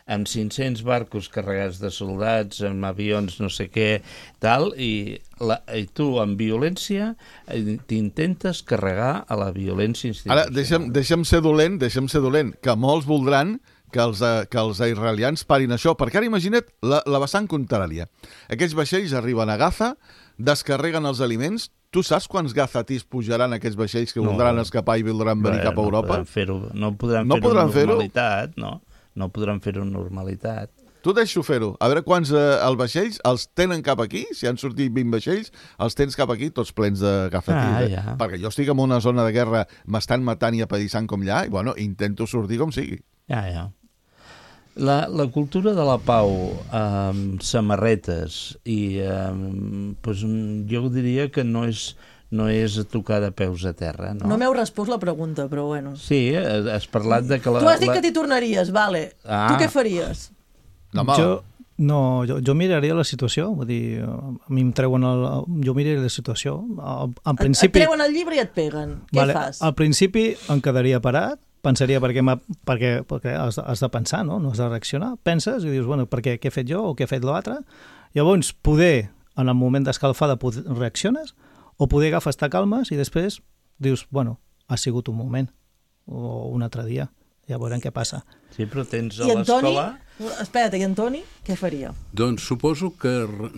amb 500 barcos carregats de soldats, amb avions no sé què, tal, i tu amb violència t'intentes carregar a la violència institucional. Ara, deixa'm ser dolent, que molts voldran que els israelians parin això, perquè ara imagina't la vessant contrària. Aquests vaixells arriben a Gaza, descarreguen els aliments. Tu saps quants gazatís pujaran aquests vaixells que voldran escapar i voldran venir cap a Europa? No podran fer-ho amb normalitat, no? No podran fer-ho amb normalitat. Tu deixo fer-ho. A veure quants els vaixells els tenen cap aquí, si han sortit 20 vaixells, els tens cap aquí tots plens de gazatís. Perquè jo estic en una zona de guerra, m'estan matant i apallissant com allà, i intento sortir com sigui. Ja. La cultura de la pau amb samarretes i jo diria que no és tocar de peus a terra. No m'heu respost la pregunta, però bueno. Sí, has parlat de que... Tu has dit que t'hi tornaries, vale. Tu què faries? Jo miraria la situació, vull dir, a mi em treuen jo miraria la situació. En principi... Et treuen el llibre i et peguen. Què fas? Al principi em quedaria parat, pensaria perquè has de pensar, no? No has de reaccionar. Penses i dius, bueno, què he fet jo o què ha fet l'altre? Llavors, poder, en el moment d'escalfada, reacciones, o poder agafes, te calmes i després dius, bueno, ha sigut un moment o un altre dia, ja veurem què passa. Sí, però tens a l'escola... Espera't, i Antoni, què faria? Doncs suposo que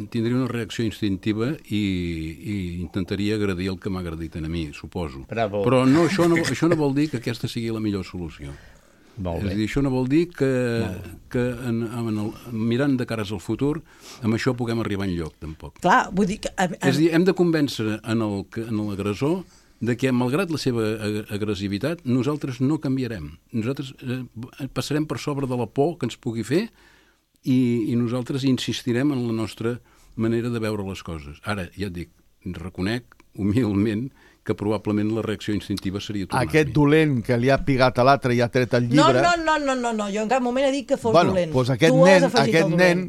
tindria una reacció instintiva i intentaria agradir el que m'ha agredit a mi, suposo. Bravo. Però no, això no vol dir que aquesta sigui la millor solució. Molt bé. És a dir, això no vol dir que mirant de cares al futur, amb això puguem arribar enlloc, tampoc. Clar, vull dir que... És a dir, hem de convèncer en l'agressor de que, malgrat la seva agressivitat, nosaltres no canviarem. Nosaltres passarem per sobre de la por que ens pugui fer i nosaltres insistirem en la nostra manera de veure les coses. Ara, ja et dic, reconec humilment que probablement la reacció instintiva seria tornar-hi. Aquest dolent que li ha pigat a l'altre i ha tret el llibre... No, jo en cap moment he dit que fos dolent. Doncs aquest nen,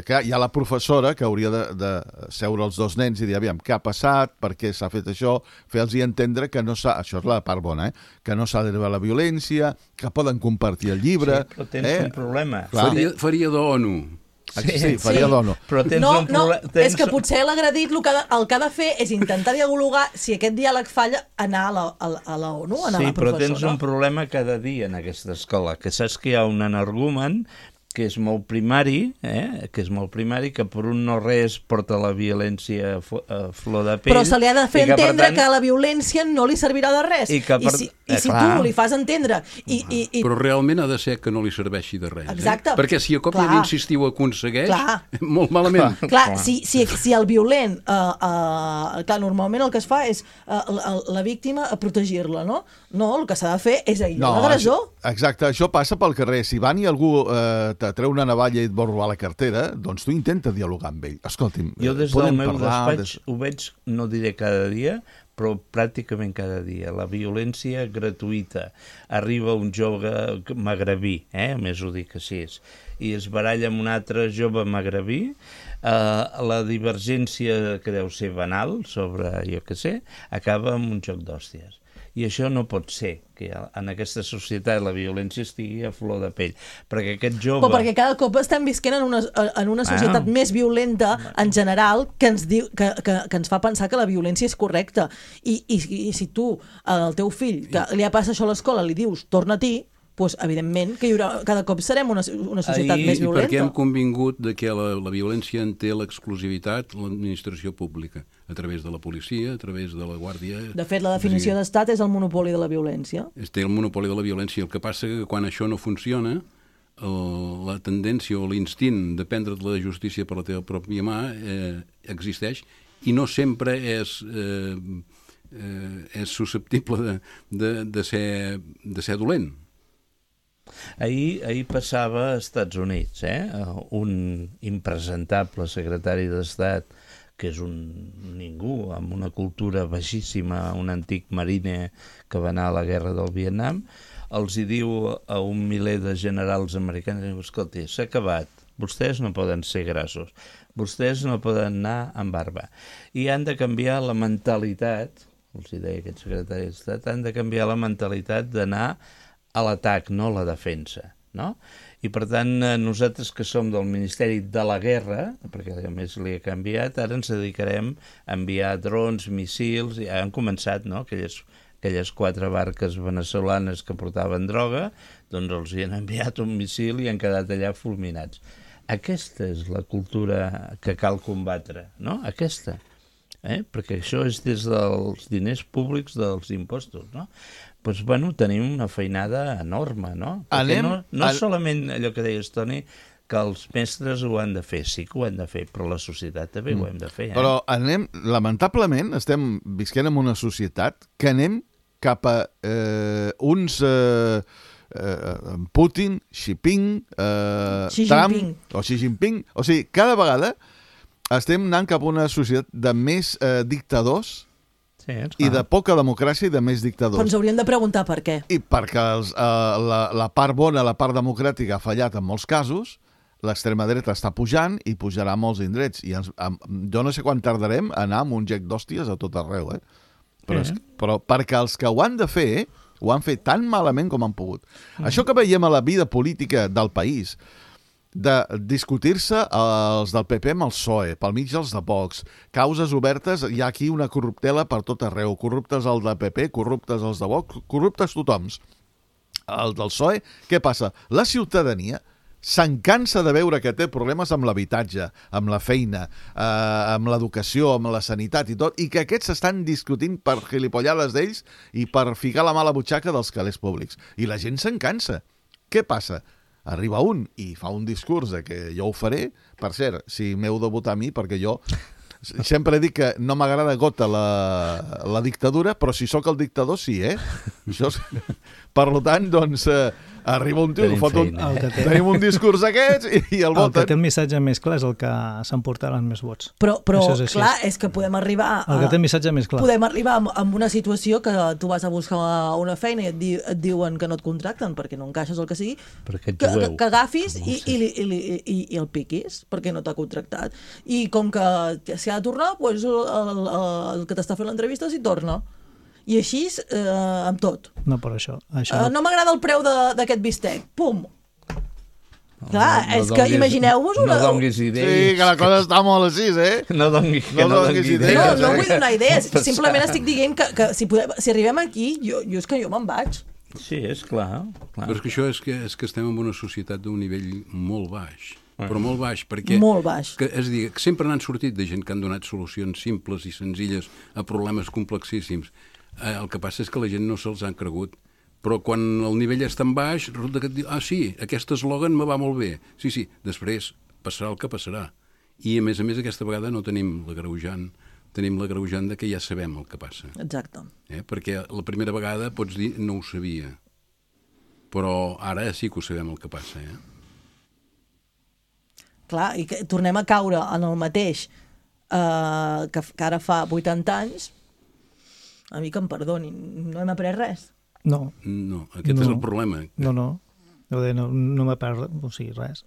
clar, hi ha la professora que hauria de seure els dos nens i dir, aviam, què ha passat, per què s'ha fet això, fer-los entendre que no s'ha... Això és la part bona, que no s'ha d'arribar a la violència, que poden compartir el llibre... Sí, però tens un problema. Faria d'ONU. Sí, faria d'ONU. Però tens un problema... És que potser l'agredit el que ha de fer és intentar dialogar, si aquest diàleg falla, anar a la ONU, anar a la professora. Sí, però tens un problema cada dia en aquesta escola, que saps que hi ha un energumen que és molt primari, que per un no res porta la violència a flor de pell. Però se li ha de fer entendre que la violència no li servirà de res. I si tu li fas entendre... Però realment ha de ser que no li serveixi de res. Exacte. Perquè si a cop d'insistir ho aconsegueix, molt malament. Clar, si el violent... Clar, normalment el que es fa és la víctima a protegir-la, no? No, el que s'ha de fer és aïllar l'agressor. Exacte, això passa pel carrer. Si van i algú te treu una navalla i et vol robar la cartera, doncs tu intenta dialogar amb ell. Escolti'm, jo des del meu despatx ho veig, no diré cada dia, però pràcticament cada dia. La violència gratuïta. Arriba un jove magrebí, més ho dic així, i es baralla amb un altre jove magrebí, la divergència que deu ser banal sobre, jo què sé, acaba amb un joc d'hòsties. I això no pot ser, que en aquesta societat la violència estigui a flor de pell. Perquè aquest jove... Però perquè cada cop estem visquent en una societat més violenta, en general, que ens fa pensar que la violència és correcta. I si tu, al teu fill, que li passa això a l'escola, li dius, torna-t'hi, doncs, evidentment, que cada cop serem una societat més violenta. I perquè hem convingut de que la violència en té l'exclusivitat l'administració pública, a través de la policia, a través de la guàrdia... De fet, la definició d'estat és el monopoli de la violència. Té el monopoli de la violència. El que passa que quan això no funciona, la tendència o l'instint de prendre la justícia per la teva pròpia mà existeix i no sempre és susceptible de ser dolent. Ahir passava als Estats Units, un impresentable secretari d'Estat, que és un ningú, amb una cultura baixíssima, un antic marine que va anar a la guerra del Vietnam, els hi diu a un miler de generals americans, escolti, s'ha acabat, vostès no poden ser grassos, vostès no poden anar amb barba, i han de canviar la mentalitat, els hi deia aquest secretari d'Estat, han de canviar la mentalitat d'anar a l'atac, no a la defensa, no? I per tant, nosaltres que som del Ministeri de la Guerra, perquè a més li ha canviat, ara ens dedicarem a enviar drons, missils, i han començat, no?, aquelles 4 barques veneçolanes que portaven droga, doncs els hi han enviat un missil i han quedat allà fulminats. Aquesta és la cultura que cal combatre, no? Aquesta. Perquè això és des dels diners públics dels impostos, no? Doncs, bueno, tenim una feinada enorme, no? Perquè no solament allò que deies, Toni, que els mestres ho han de fer, sí que ho han de fer, però la societat també ho hem de fer. Però lamentablement, estem visquent en una societat que anem cap a uns Putin, Xi Jinping, o sigui, cada vegada estem anant cap a una societat de més dictadors i de poca democràcia i de més dictadors. Però ens hauríem de preguntar per què. I perquè la part bona, la part democràtica ha fallat en molts casos, l'extrema dreta està pujant i pujarà a molts indrets. I jo no sé quan tardarem a anar amb un gec d'hòsties a tot arreu, però perquè els que ho han de fer, ho han fet tan malament com han pogut. Això que veiem a la vida política del país, de discutir-se els del PP amb el PSOE, pel mig els de Vox, causes obertes, hi ha aquí una corruptela per tot arreu, corruptes el de PP, corruptes els de Vox, corruptes tothom. El del PSOE, què passa? La ciutadania se'n cansa de veure que té problemes amb l'habitatge, amb la feina, amb l'educació, amb la sanitat i tot, i que aquests s'estan discutint per gilipollades d'ells i per ficar la mà a la butxaca dels calés públics. I la gent se'n cansa. Què passa? Arriba un i fa un discurs de que jo ho faré. Per cert, si m'heu de votar a mi, perquè jo sempre dic que no m'agrada gota la dictadura, però si sóc el dictador, sí, Això, per tant, doncs, arriba un tio, tenim un discurs d'aquests i el voten. El que té el missatge més clar és el que s'emportaran més vots. Però clar, és que podem arribar... El que té el missatge més clar. Podem arribar amb una situació que tu vas a buscar una feina i et diuen que no et contracten perquè no encaixes el que sigui, que agafis i el piquis perquè no t'ha contractat. I com que s'hi ha de tornar, doncs el que t'està fent l'entrevista s'hi torna. I així amb tot. No, per això. No m'agrada el preu d'aquest bistec. Pum! Clar, és que imagineu-vos una... No donguis idees. Sí, que la cosa està molt així, No donguis idees. No vull donar idees. Simplement estic dient que si arribem aquí, és que jo me'n vaig. Sí, és clar. Però és que això és que estem en una societat d'un nivell molt baix. Però molt baix, perquè... Molt baix. És a dir, que sempre n'han sortit de gent que han donat solucions simples i senzilles a problemes complexíssims. El que passa és que la gent no se'ls han cregut. Però quan el nivell és tan baix, resulta que et diu, sí, aquest eslògan me va molt bé. Sí, després passarà el que passarà. I, a més, aquesta vegada no tenim l'agreujant. Tenim l'agreujant de que ja sabem el que passa. Exacte. Perquè la primera vegada pots dir no ho sabia. Però ara sí que ho sabem el que passa, Clar, i que tornem a caure en el mateix que ara fa 80 anys. A mi que em perdonin, no hem après res. No, aquest és el problema. No m'he après res.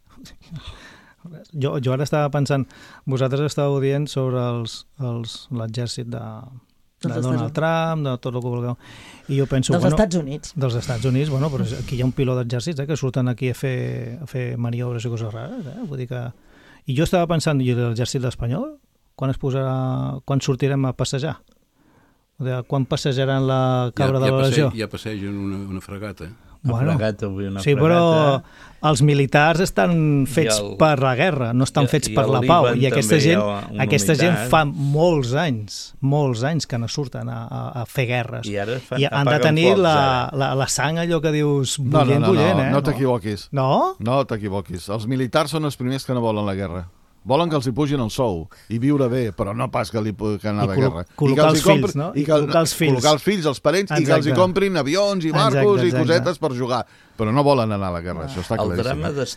Jo ara estava pensant, vosaltres estàveu dient sobre l'exèrcit de Donald Trump, de tot el que vulgueu. I jo penso, dels Estats Units. Dels Estats Units, però aquí hi ha un piló d'exèrcits que surten aquí a fer maniobres i coses rares. Vull dir que... I jo estava pensant, i l'exèrcit espanyol, quan sortirem a passejar? Quan passejaran la cabra de la legió? Ja passegen una fregata. Sí, però els militars estan fets per la guerra, no estan fets per la pau. I aquesta gent fa molts anys que no surten a fer guerres. I han de tenir la sang, allò que dius, bullent. No t'equivoquis. No? No t'equivoquis. Els militars són els primers que no volen la guerra. Volen que els hi pugin el sou i viure bé, però no pas que anar a la guerra. Col·locar els fills, no? Col·locar els fills, els parents, i que els hi comprin avions i barcos i cosetes per jugar. Però no volen anar a la guerra, això està claríssim. El drama dels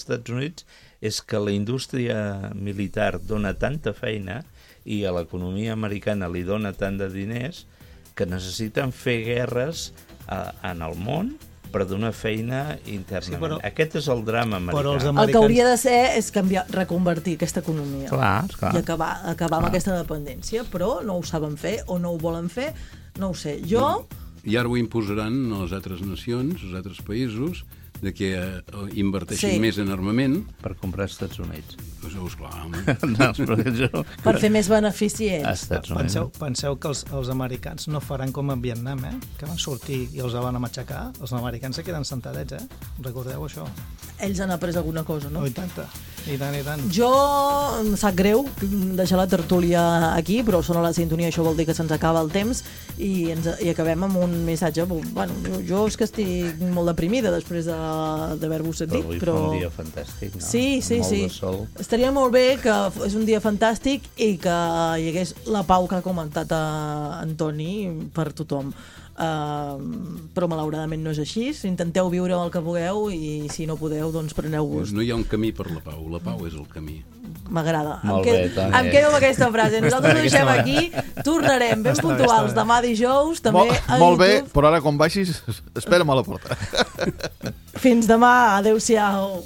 Estats Units és que la indústria militar dona tanta feina i a l'economia americana li dona tant de diners que necessiten fer guerres en el món per donar feina internament. Aquest és el drama americà. El que hauria de ser és reconvertir aquesta economia. Clar. I acabar amb aquesta dependència, però no ho saben fer o no ho volen fer, no ho sé. I ara ho imposaran a les altres nacions, als altres països, de que inverteixin més en armament. Per comprar als Estats Units. Per fer més beneficients. Penseu que els americans no faran com a Vietnam, que van sortir i els van a matxacar. Els americans se queden sentadets, recordeu això? Ells han après alguna cosa, no? I tant. Jo, em sap greu deixar la tertúlia aquí, però sona la sintonia, això vol dir que se'ns acaba el temps i acabem amb un missatge. Bueno, jo és que estic molt deprimida després d'haver-vos sentit. Però avui fa un dia fantàstic, no? Sí. Molt de sol. Estaria molt bé que és un dia fantàstic i que hi hagués la pau que ha comentat Antoni per tothom. Però malauradament no és així. Intenteu viure el que pugueu i si no podeu, doncs preneu-vos. No hi ha un camí per la pau és el camí. M'agrada. Em quedo amb aquesta frase. Nosaltres ho deixem aquí, tornarem ben puntuals demà dijous, també a YouTube. Molt bé, però ara quan baixis espera'm a la porta. Fins demà, adeu-siau.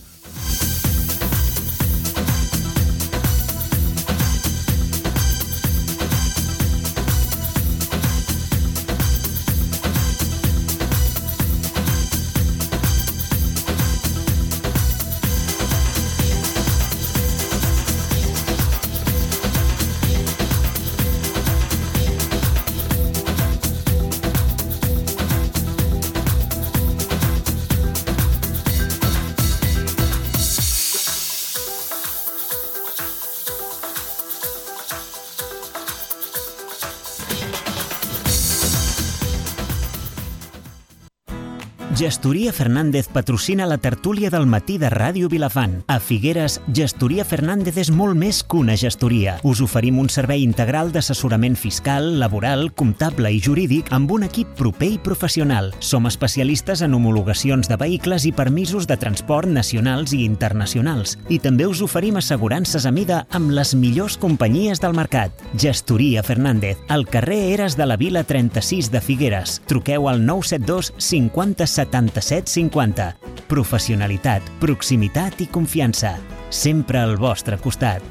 Gestoria Fernández patrocina la tertúlia del matí de Ràdio Vilafant. A Figueres, Gestoria Fernández és molt més que una gestoria. Us oferim un servei integral d'assessorament fiscal, laboral, comptable i jurídic amb un equip proper i professional. Som especialistes en homologacions de vehicles i permisos de transport nacionals i internacionals. I també us oferim assegurances a mida amb les millors companyies del mercat. Gestoria Fernández, al carrer Eres de la Vila 36 de Figueres. Truqueu al 972 50 77 50. Professionalitat, proximitat i confiança. Sempre al vostre costat.